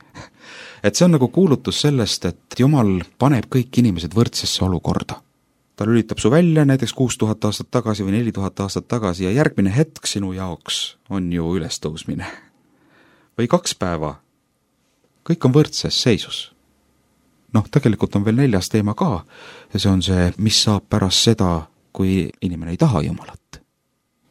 Et see on nagu kuulutus sellest, et Jumal paneb kõik inimesed võrdsesse olukorda. Ta lülitab su välja näiteks 6000 aastat tagasi või 4000 aastat tagasi ja järgmine hetk sinu jaoks on ju ülestõusmine. Või 2 päeva. Kõik on võrdses seisus. Tegelikult on veel 4. teema ka ja see on see, mis saab pärast seda, kui inimene ei taha Jumalat.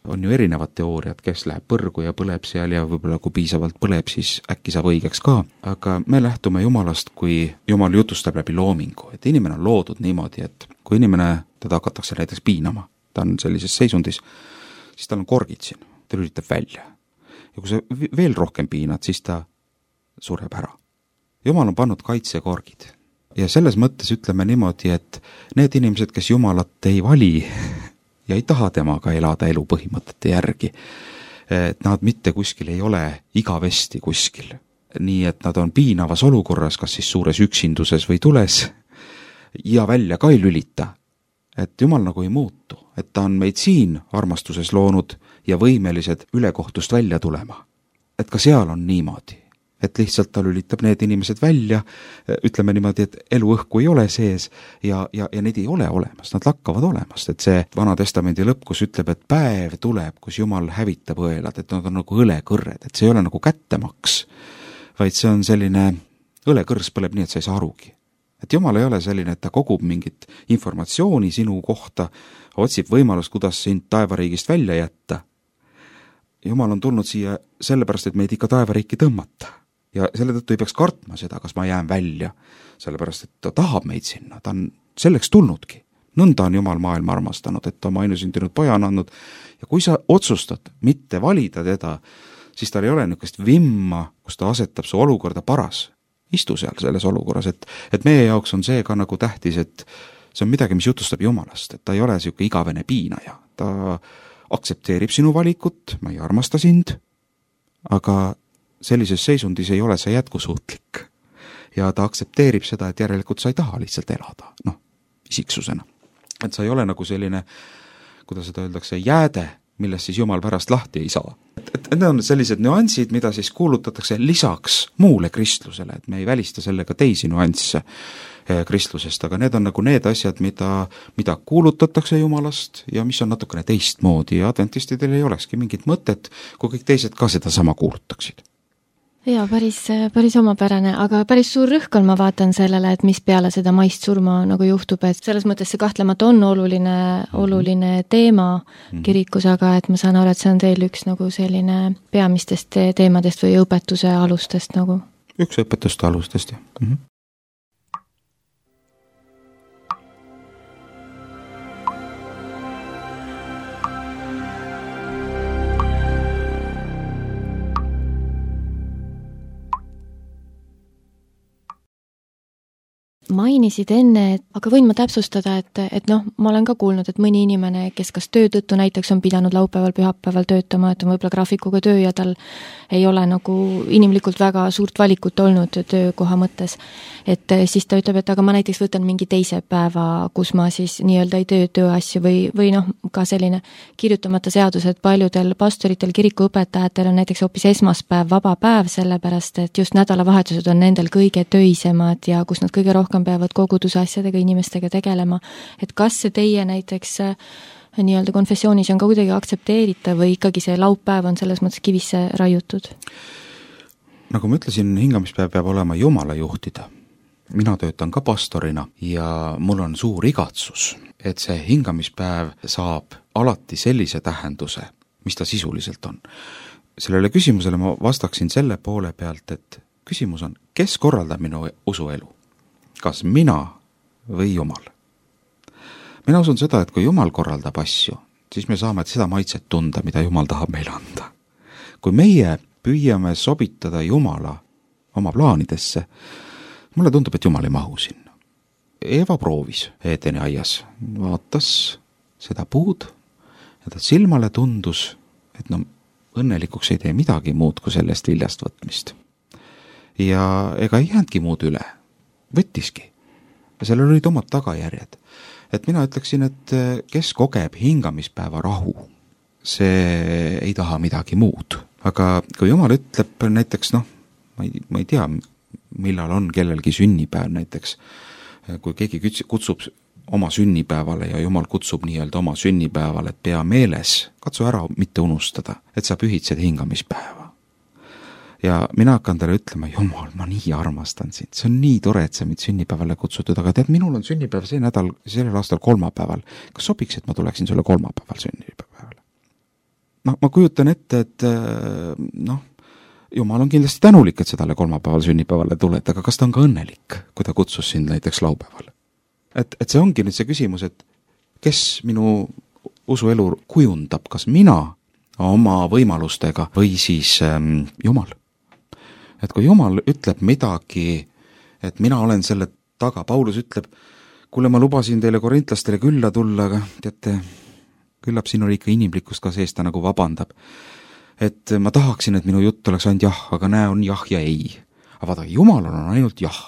On ju erinevad teooriad, kes läheb põrgu ja põleb seal ja võib-olla kui piisavalt põleb, siis äkki saab õigeks ka. Aga me lähtume Jumalast, kui Jumal jutustab läbi loomingu, et inimene on loodud niimoodi, et kui inimene teda hakatakse näiteks piinama, ta on sellises seisundis, siis tal on korgid siin, ta lülitab välja. Ja kui sa veel rohkem piinad, siis ta sureb ära. Jumal on pannud kaitsekorgid. Ja selles mõttes ütleme niimoodi, et need inimesed, kes Jumalat ei vali ja ei taha temaga elada elu põhimõtete järgi, et nad mitte kuskil ei ole igavesti kuskil. Nii et nad on piinavas olukorras, kas siis suures üksinduses või tules ja välja ka ei lülita. Et Jumal nagu ei muutu, et ta on meid siin armastuses loonud ja võimelised ülekohtust välja tulema. Et ka seal on niimoodi, et lihtsalt ta lülitab need inimesed välja, ütleme niimoodi, et eluõhku ei ole sees ja need ei ole olemas, nad lakkavad olemast, et see Vanatestamendi lõpp, kus ütleb, et päev tuleb, kus Jumal hävitab õelad, et nad on nagu õlekõrred, et see ei ole nagu kättemaks, vaid see on selline, õlekõrs põleb nii, et sa ei saa arugi. Et Jumal ei ole selline, et ta kogub mingit informatsiooni sinu kohta, otsib võimalust, kuidas sind taevariigist välja jätta. Jumal on tulnud siia sellepärast, et meid ikka taevariiki tõmmata. Ja selle tõttu ei peaks kartma seda, kas ma jään välja, sellepärast, et ta tahab meid sinna, ta on selleks tulnudki. Nõnda on Jumal maailma armastanud, et ta oma ainusündinud poja on andnud ja kui sa otsustad mitte valida teda, siis tal ei ole niisugust vimma, kus ta asetab su olukorda paras. Istu seal selles olukorras, et meie jaoks on see ka nagu tähtis, et see on midagi, mis jutustab Jumalast, et ta ei ole selline igavene piinaja. Ta aktsepteerib sinu valikut, ma ei armasta sind, aga sellises seisundis ei ole see jätkusuutlik. Ja ta aktsepteerib seda, et järelikult sa ei taha lihtsalt elada, isiksusena. Et sa ei ole nagu selline, kuidas seda öeldakse, jääde, millest siis Jumal pärast lahti ei saa. Et need on sellised nüansid, mida siis kuulutatakse lisaks muule kristlusele, et me ei välista sellega teisi nüansse kristlusest, aga need on nagu need asjad, mida kuulutatakse Jumalast ja mis on natukene teistmoodi ja adventistidel ei olekski mingit mõtet, kui kõik teised ka seda sama kuulutaksid. Jaa, päris omapärane, aga päris suur rõhk on, ma vaatan sellele, et mis peale seda maist surma nagu juhtub, et selles mõttes see kahtlemata on oluline teema kirikus, aga et ma saan aru, et see on teil üks nagu selline peamistest teemadest või õpetuse alustest nagu? Üks õpetuste alustest, jah. mainisid enne, aga võin ma täpsustada, et noh, ma olen ka kuulnud, et mõni inimene, kes kas töö tõttu näiteks on pidanud laupäeval, pühapäeval töötama, et on võib-olla graafikuga töö ja tal ei ole nagu inimlikult väga suurt valikut olnud töökoha mõttes, et siis ta ütleb, et aga ma näiteks võtan mingi teise päeva, kus ma siis nii-öelda ei tee tööasju või noh, ka selline kirjutamata seadus, et paljudel pastoritel, kirikuõpetajatel on näiteks hoopis esmaspäev vaba päev, sellepärast et just nädalavahetused on nendel kõige töisemad ja kus nad kõige rohkem peavad koguduse asjadega, inimestega tegelema. Et kas see teie näiteks nii-öelda konfessioonis on ka kuidagi aktsepteeritav või ikkagi see laupäev on selles mõttes kivisse raiutud? Nagu ma ütlesin, hingamispäev peab olema Jumala juhtida. Mina töötan ka pastorina ja mul on suur igatsus, et see hingamispäev saab alati sellise tähenduse, mis ta sisuliselt on. Sellele küsimusele ma vastaksin selle poole pealt, et küsimus on, kes korraldab minu usuelu? Kas mina või Jumal? Mina usun seda, et kui Jumal korraldab asju, siis me saame seda maitset tunda, mida Jumal tahab meile anda. Kui meie püüame sobitada Jumala oma plaanidesse, mulle tundub, et Jumal ei mahu sinna. Eeva proovis Eedeni aias, vaatas seda puud ja ta silmale tundus, et no õnnelikuks ei tee midagi muud kui sellest viljast võtmist. Ja ega ei jäänudki muud üle, võttiski. Ja sellel olid omad tagajärjed. Et mina ütleksin, et kes kogeb hingamispäeva rahu, see ei taha midagi muud. Aga kui Jumal ütleb näiteks, noh, ma ei tea, millal on kellelgi sünnipäev näiteks, kui keegi kutsub oma sünnipäevale ja Jumal kutsub nii-öelda oma sünnipäevale, et pea meeles, katsu ära mitte unustada, et sa pühitsed hingamispäeva. Ja mina hakkan talle ütlema, Jumal, ma nii armastan sind, see on nii tore, et sa mind sünnipäevale kutsutud, aga tead, minul on sünnipäev sellel aastal kolmapäeval. Kas sobiks, et ma tuleksin sulle kolmapäeval sünnipäevale? No, ma kujutan ette, et noh, Jumal on kindlasti tänulik, et sa talle kolmapäeval sünnipäevale tuled, aga kas ta on ka õnnelik, kui ta kutsus sind näiteks laupäeval? Et see ongi nüüd see küsimus, et kes minu usuelu kujundab, kas mina oma võimalustega või siis Jumal. Et kui Jumal ütleb midagi, et mina olen selle taga, Paulus ütleb, kuule, ma lubasin teile korintlastele külla tulla, aga teate, küllap siin oli ikka inimlikkust ka sees, ta nagu vabandab. Et ma tahaksin, et minu jutt oleks ainult jah, aga näe on jah ja ei. Aga vaadake, Jumalal on ainult jah.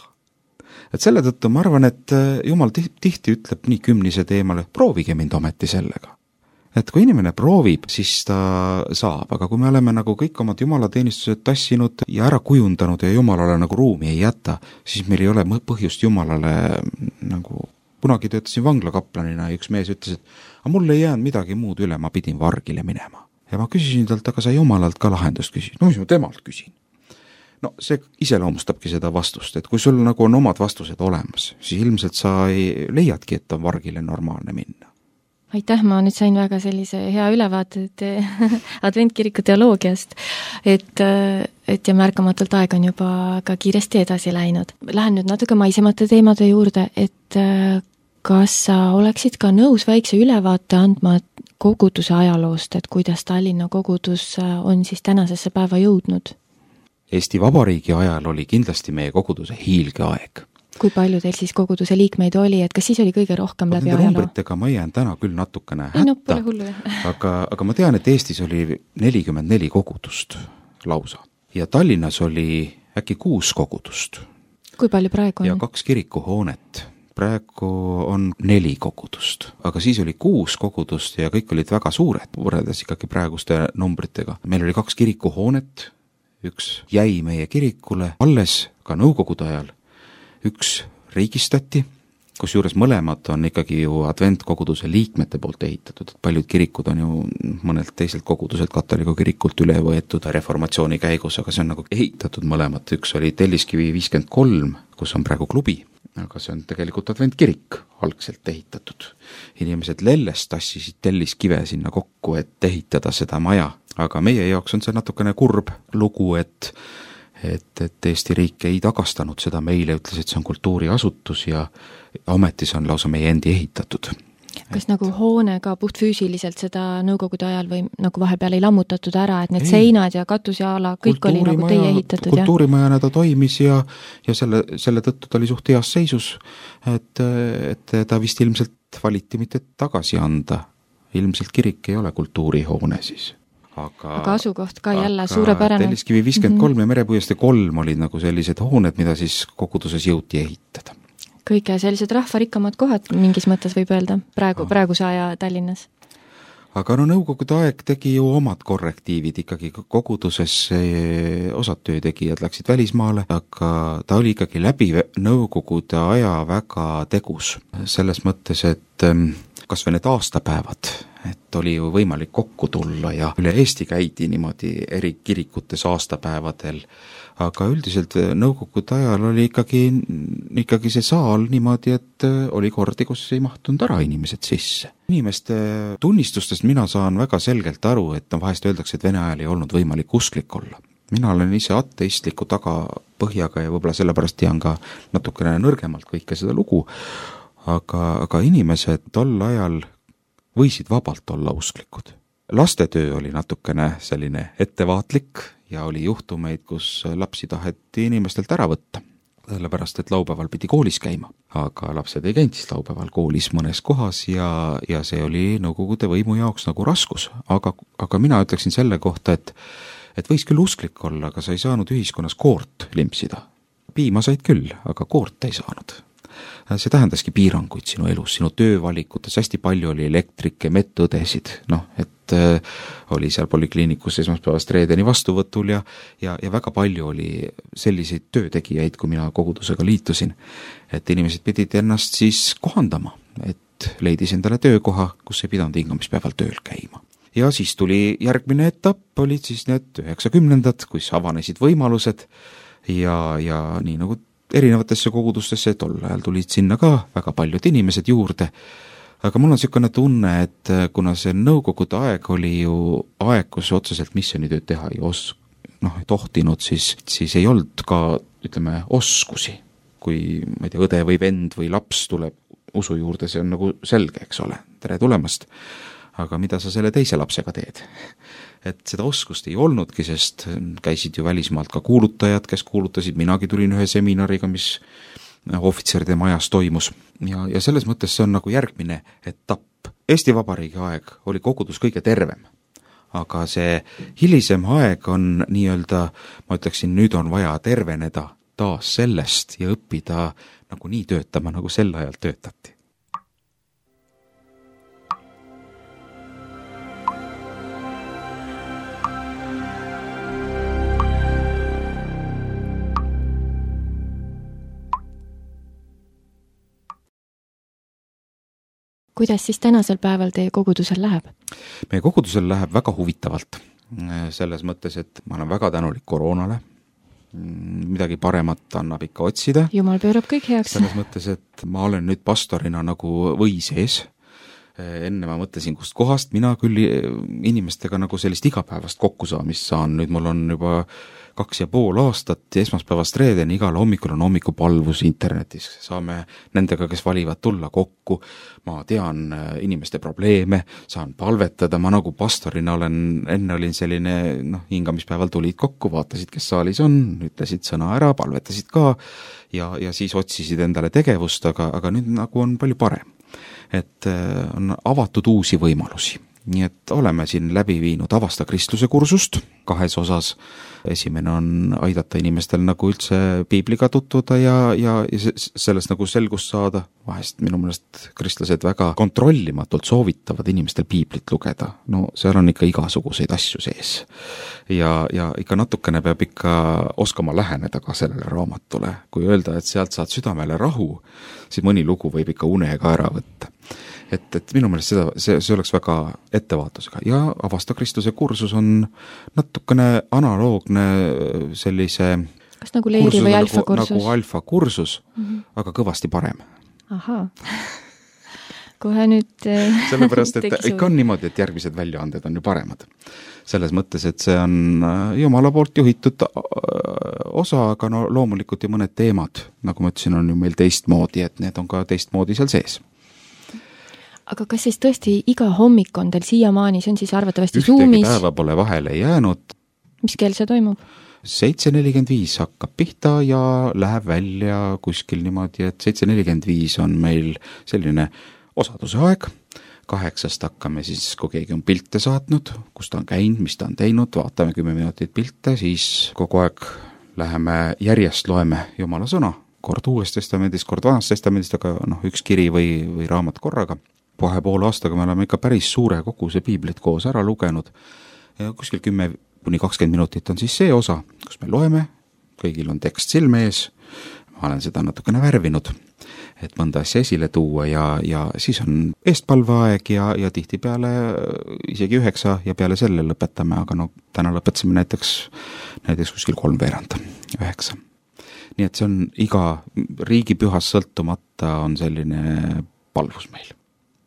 Et selle tõttu ma arvan, et Jumal tihti ütleb nii kümnise teemale, proovige mind ometi sellega. Et kui inimene proovib, siis ta saab, aga kui me oleme nagu kõik omad jumalateenistused tassinud ja ära kujundanud ja Jumalale nagu ruumi ei jäta, siis meil ei ole põhjust Jumalale nagu, kunagi töötasin vanglakaplanina ja üks mees ütles, et mul ei jäänud midagi muud üle, ma pidin vargile minema. Ja ma küsisin talt, aga sa Jumalalt ka lahendust küsin. No mis ma temalt küsin? No see iseloomustabki seda vastust, et kui sul nagu on omad vastused olemas, siis ilmselt sa ei leiadki, et on vargile normaalne minna. Aitäh, ma nüüd sain väga sellise hea ülevaate adventkiriku teoloogiast, et ja märkamatult aeg on juba ka kiiresti edasi läinud. Lähen nüüd natuke maisemate teemade juurde, et kas sa oleksid ka nõus väikse ülevaate andma koguduse ajaloost, et kuidas Tallinna kogudus on siis tänasesse päeva jõudnud? Eesti Vabariigi ajal oli kindlasti meie koguduse hiilgeaeg. Kui palju teil siis koguduse liikmeid oli, et kas siis oli kõige rohkem läbi ajaloo? Numbritega ma jään täna küll natukene hätta, aga ma tean, et Eestis oli 44 kogudust lausa ja Tallinnas oli äkki 6 kogudust. Kui palju praegu on? Ja 2 kirikuhoonet. Praegu on 4 kogudust, aga siis oli 6 kogudust ja kõik olid väga suured, võrreldes ikkagi praeguste numbritega. Meil oli 2 kirikuhoonet, üks jäi meie kirikule alles ka nõukogude ajal, üks riigistati, kus juures mõlemad on ikkagi ju adventkoguduse liikmete poolt ehitatud, et paljud kirikud on ju mõnelt teiselt koguduselt katoliku kirikult üle võetud reformatsiooni käigus, aga see on nagu ehitatud mõlemad, üks oli Telliskivi 53, kus on praegu klubi, aga see on tegelikult adventkirik algselt ehitatud. Inimesed Lellest tassisid telliskive sinna kokku, et ehitada seda maja, aga meie jaoks on see natukene kurb lugu, et Eesti riik ei tagastanud seda meile, ütles, et see on kultuuriasutus ja ametis on lausa meie endi ehitatud. kas nagu hoone ka puhtfüüsiliselt seda nõukogude ajal või nagu vahepeal ei lammutatud ära, et need seinad ja katus ja ala, kõik oli nagu teie ehitatud? Kultuurimajana ta toimis ja selle tõttu ta oli suht heas seisus, et ta vist ilmselt valiti mitte tagasi anda. Ilmselt kirik ei ole kultuurihoone siis. Aga asukoht ka jälle suurepärane. Telliskivi 53 ja Merepuiestee 3 olid nagu sellised hooned, mida siis koguduses jõuti ehitada. Kõige sellised rahvarikkamad kohad mingis mõttes võib öelda praeguse aja Tallinnas. Aga no nõukogude aeg tegi ju omad korrektiivid ikkagi koguduses, osad töötegijad läksid välismaale, aga ta oli ikkagi läbi nõukogude aja väga tegus. Selles mõttes, et kas või need aastapäevad, et oli ju võimalik kokku tulla ja üle Eesti käidi niimoodi eri kirikutes aastapäevadel, aga üldiselt nõukogude ajal oli ikkagi see saal niimoodi, et oli kordi, kus ei mahtunud ära inimesed sisse. Inimeste tunnistustest mina saan väga selgelt aru, et vahest öeldakse, et Vene ajal ei olnud võimalik usklik olla. Mina olen ise ateistliku tagapõhjaga ja võib-olla sellepärast tean ka natukene nõrgemalt kõike seda lugu, aga inimesed tol ajal võisid vabalt olla usklikud. Lastetöö oli natukene selline ettevaatlik ja oli juhtumeid, kus lapsi taheti inimestelt ära võtta, sellepärast et laupäeval pidi koolis käima. Aga lapsed ei käinud siis laupäeval koolis mõnes kohas ja see oli nõukogude võimu jaoks nagu raskus. Aga mina ütleksin selle kohta, et võis küll usklik olla, aga sa ei saanud ühiskonnas koort limpsida. Piima said küll, aga koort ei saanud. See tähendaski piiranguid sinu elus, sinu töövalikutes, hästi palju oli elektrikke, medõdesid, et oli seal polikliinikus esmaspäevast reedeni vastuvõtul ja väga palju oli selliseid töötegijaid, kui mina kogudusega liitusin, et inimesed pidid ennast siis kohandama, et leidis endale töökoha, kus ei pidanud hingamispäeval tööl käima. Ja siis tuli järgmine etapp, olid siis need 90-ndad, kus avanesid võimalused ja nii nagu erinevatesse kogudustesse, tol ajal tulid sinna ka väga paljud inimesed juurde, aga mul on niisugune tunne, et kuna see nõukogude aeg oli ju aeg, kus otseselt missionitööd teha ei tohtinud, siis ei olnud ka, ütleme, oskusi. Kui, ma ei tea, õde või vend või laps tuleb usu juurde, see on nagu selge, eks ole, tere tulemast. Aga mida sa selle teise lapsega teed? Et seda oskust ei olnudki, sest käisid ju välismaalt ka kuulutajad, kes kuulutasid, minagi tulin ühe seminariga, mis ohvitseride majas toimus. Ja selles mõttes see on nagu järgmine etapp. Eesti Vabariigi aeg oli kogudus kõige tervem, aga see hilisem aeg on nii-öelda, ma ütleksin, nüüd on vaja terveneda taas sellest ja õppida nagu nii töötama, nagu sel ajal töötati. Kuidas siis tänasel päeval teie kogudusel läheb? Meie kogudusel läheb väga huvitavalt. Selles mõttes, et ma olen väga tänulik koroonale. Midagi paremat annab ikka otsida. Jumal pöörab kõik heaks. Selles mõttes, et ma olen nüüd pastorina nagu või sees. Enne ma mõtlesin, kust kohast mina küll inimestega nagu sellist igapäevast kokkusaamist saan. Nüüd mul on juba 2,5 aastat esmaspäevast reedeni, igal hommikul on hommikupalvus internetis. Saame nendega, kes valivad tulla kokku. Ma tean inimeste probleeme, saan palvetada. Ma nagu pastorina enne olin selline, hingamispäeval tulid kokku, vaatasid, kes saalis on, ütlesid sõna ära, palvetasid ka ja siis otsisid endale tegevust, aga nüüd nagu on palju parem. Et on avatud uusi võimalusi. Nii et oleme siin läbi viinud Avasta kristluse kursust 2 osas. Esimene on aidata inimestel nagu üldse piibliga tutvuda ja sellest nagu selgust saada. Vahest minu meelest kristlased väga kontrollimatult soovitavad inimestel piiblit lugeda. No seal on ikka igasuguseid asju sees. Ja ikka natukene peab ikka oskama läheneda ka sellele raamatule. Kui öelda, et sealt saad südamele rahu, siis mõni lugu võib ikka unega ära võtta. Et minu meelest see oleks väga ettevaatusega. Ja Avasta kristluse kursus on natukene analoogne sellise kas nagu leeri või alfa kursus? Nagu alfa kursus, aga kõvasti parem. Ahaa. Kohe nüüd sellepärast, et ikka on niimoodi, et järgmised väljaanded on ju paremad. Selles mõttes, et see on Jumala poolt juhitud osa, aga loomulikult ju mõned teemad, nagu ma ütlesin, on ju meil teistmoodi, et need on ka teistmoodi seal sees. aga kas siis tõesti iga hommik on teil siiamaani, see on siis arvatavasti ühtegi Zoomis? päeva pole vahele jäänud. Mis kell see toimub? 7:45 hakkab pihta ja läheb välja kuskil niimoodi, et 7:45 on meil selline osaduse aeg. 8 hakkame siis, kui keegi on pilte saatnud, kus ta on käinud, mis ta on teinud, vaatame 10 minutit pilte, siis kogu aeg läheme järjest, loeme Jumala sõna, kord Uues Testamendis, kord Vanas Testamendist, aga üks kiri või raamat korraga. Poole aastaga me oleme ikka päris suure koguse piiblit koos ära lugenud. Kuskil 10-20 minutit on siis see osa, kus me loeme, kõigil on tekst silme ees, ma olen seda natukene värvinud, et mõnda asja esile tuua ja siis on eestpalveaeg ja tihtipeale isegi 9 ja peale selle lõpetame, aga täna lõpetasime näiteks kuskil 3:15, 9. Nii et see on iga riigipühast sõltumata on selline palvus meil.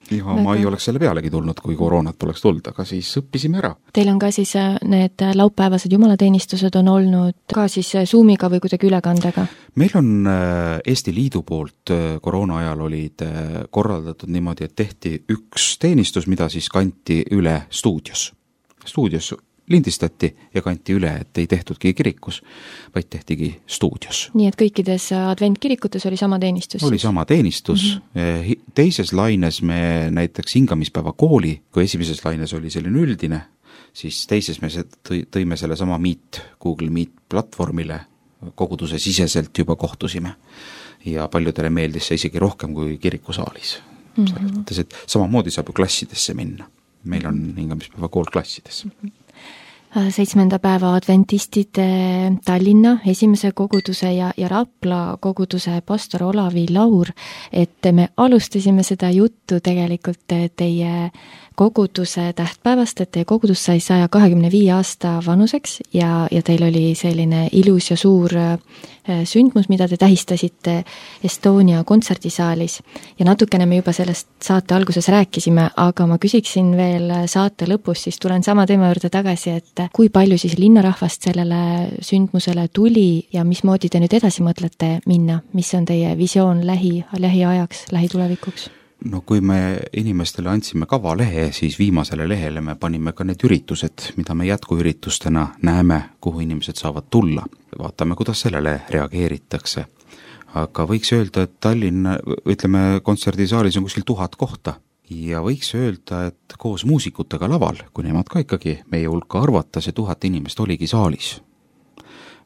Ja ma ei oleks selle pealegi tulnud, kui koroonat poleks tulnud, aga siis õppisime ära. Teil on ka siis need laupäevased jumalateenistused on olnud ka siis Zoomiga või kuidagi ülekandega? Meil on Eesti Liidu poolt koroona ajal olid korraldatud niimoodi, et tehti üks teenistus, mida siis kanti üle stuudios. Stuudios lindistati ja kanti üle, et ei tehtudki kirikus, vaid tehtigi stuudios. Nii et kõikides adventkirikutes oli sama teenistus? Oli sama teenistus. Teises laines me näiteks hingamispäeva kooli, kui esimeses laines oli selline üldine, siis teises me tõime selle sama Google Meet platvormile, koguduse siseselt juba kohtusime. Ja paljudele meeldis see isegi rohkem kui kirikusaalis. Selles mõttes, et samamoodi saab ju klassidesse minna. Meil on hingamispäeva kool klassides. 7. päeva adventistide Tallinna esimese koguduse ja Rapla koguduse pastor Olavi Laur, et me alustasime seda juttu tegelikult teie koguduse tähtpäevast, et teie kogudus sai 125 aasta vanuseks ja teil oli selline ilus ja suur sündmus, mida te tähistasite Estonia kontserdisaalis. Ja natukene me juba sellest saate alguses rääkisime, aga ma küsiksin veel saate lõpus, siis tulen sama teema juurde tagasi, et kui palju siis linnarahvast sellele sündmusele tuli ja mismoodi te nüüd edasi mõtlete minna? Mis on teie visioon lähiajaks, lähitulevikuks? No kui me inimestele andsime kavalehe, siis viimasele lehele me panime ka need üritused, mida me jätkuüritustena näeme, kuhu inimesed saavad tulla. Vaatame, kuidas sellele reageeritakse. Aga võiks öelda, et Tallinna, kontserdisaalis on kuskil 1000 kohta. Ja võiks öelda, et koos muusikutega laval, kui nemad ka ikkagi meie hulka arvata, see 1000 inimest oligi saalis.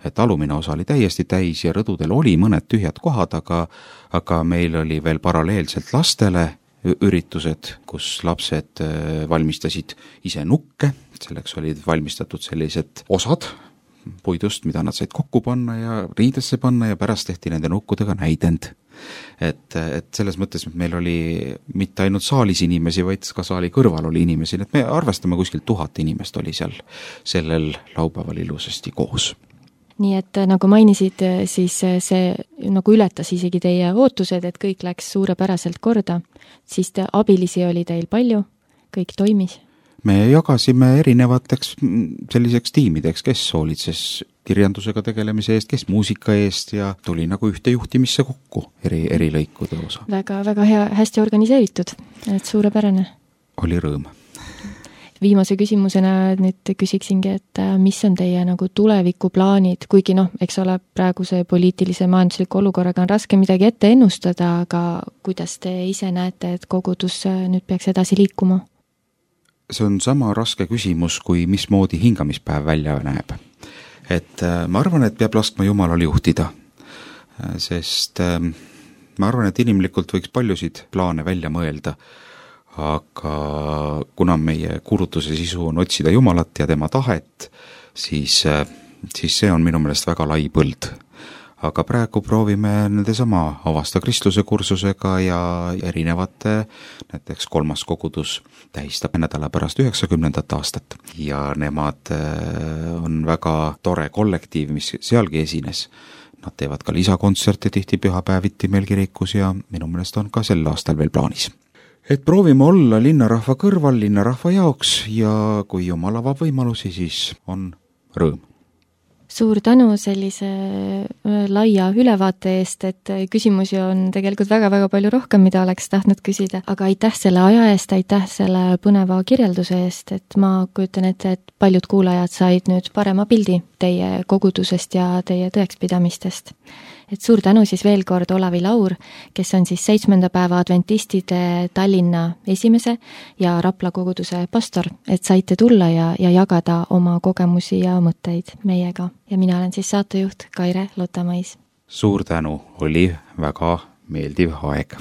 Et alumine osa oli täiesti täis ja rõdudel oli mõned tühjad kohad, aga meil oli veel paralleelselt lastele üritused, kus lapsed valmistasid ise nukke, selleks olid valmistatud sellised osad puidust, mida nad said kokku panna ja riidesse panna ja pärast tehti nende nukkudega näidend. Et selles mõttes meil oli mitte ainult saalis inimesi, vaid ka saali kõrval oli inimesi, et me arvestame kuskil 1000 inimest oli seal sellel laupäeval ilusasti koos. Nii et nagu mainisid, siis see nagu ületas isegi teie ootused, et kõik läks suurepäraselt korda, siis abilisi oli teil palju, kõik toimis? Me jagasime erinevateks selliseks tiimideks, kes hoolitses kirjandusega tegelemise eest, kes muusika eest ja tuli nagu ühte juhtimisse kokku eri lõikude osa. Väga hea, hästi organiseeritud, et suurepärane. Oli rõõm. Viimase küsimusena nüüd küsiksingi, et mis on teie nagu tulevikuplaanid, kuigi eks ole, praeguse poliitilise majandusliku olukorraga on raske midagi ette ennustada, aga kuidas te ise näete, et kogudus nüüd peaks edasi liikuma? See on sama raske küsimus, kui mismoodi hingamispäev välja näeb. Et ma arvan, et peab laskma Jumalal juhtida, sest ma arvan, et inimlikult võiks paljusid plaane välja mõelda, aga kuna meie kuulutuse sisu on otsida Jumalat ja tema tahet, siis see on minu meelest väga lai põld. Aga praegu proovime nendesama Avasta Kristluse kursusega ja erinevate, näiteks 3. kogudus tähistab nädala pärast 90. aastat ja nemad on väga tore kollektiiv, mis sealgi esines. Nad teevad ka lisakontserte tihti pühapäeviti meil kirikus ja minu meelest on ka sel aastal veel plaanis. Et proovime olla linnarahva kõrval, linnarahva jaoks ja kui Jumal avab võimalusi, siis on rõõm. Suur tänu sellise laia ülevaate eest, et küsimusi on tegelikult väga-väga palju rohkem, mida oleks tahtnud küsida, aga aitäh selle aja eest, aitäh selle põneva kirjelduse eest, et ma kujutan ette, et paljud kuulajad said nüüd parema pildi teie kogudusest ja teie tõekspidamistest. Et suur tänu siis veel kord Olavi Laur, kes on siis 7. päeva adventistide Tallinna esimese ja Rapla koguduse pastor, et saite tulla ja jagada oma kogemusi ja mõtteid meiega. Ja mina olen siis saatejuht Kaire Lotamais. Suur tänu, oli väga meeldiv aeg.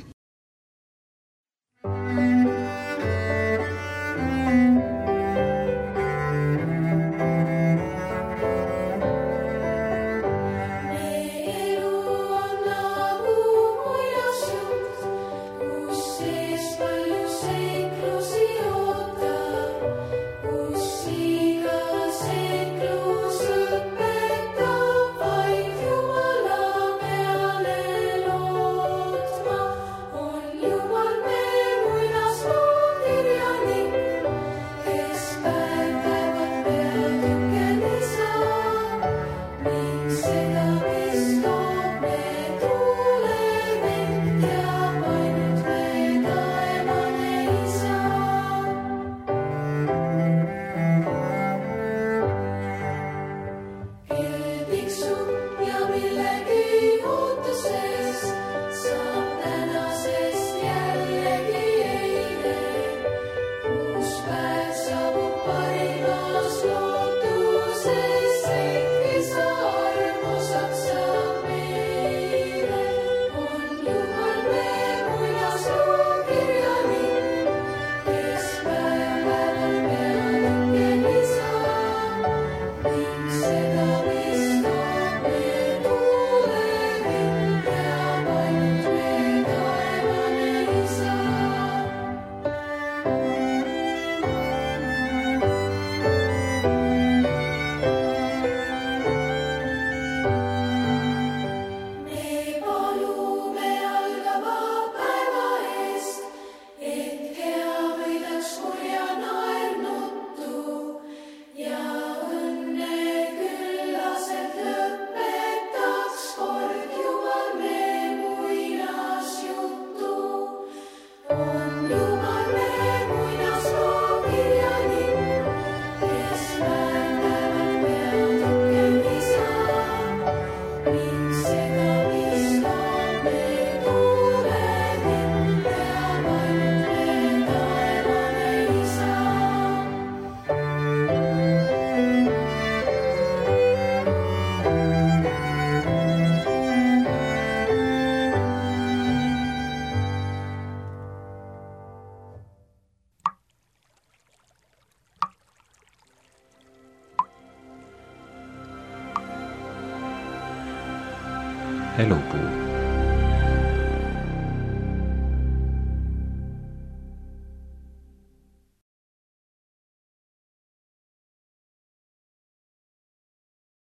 Elupuu.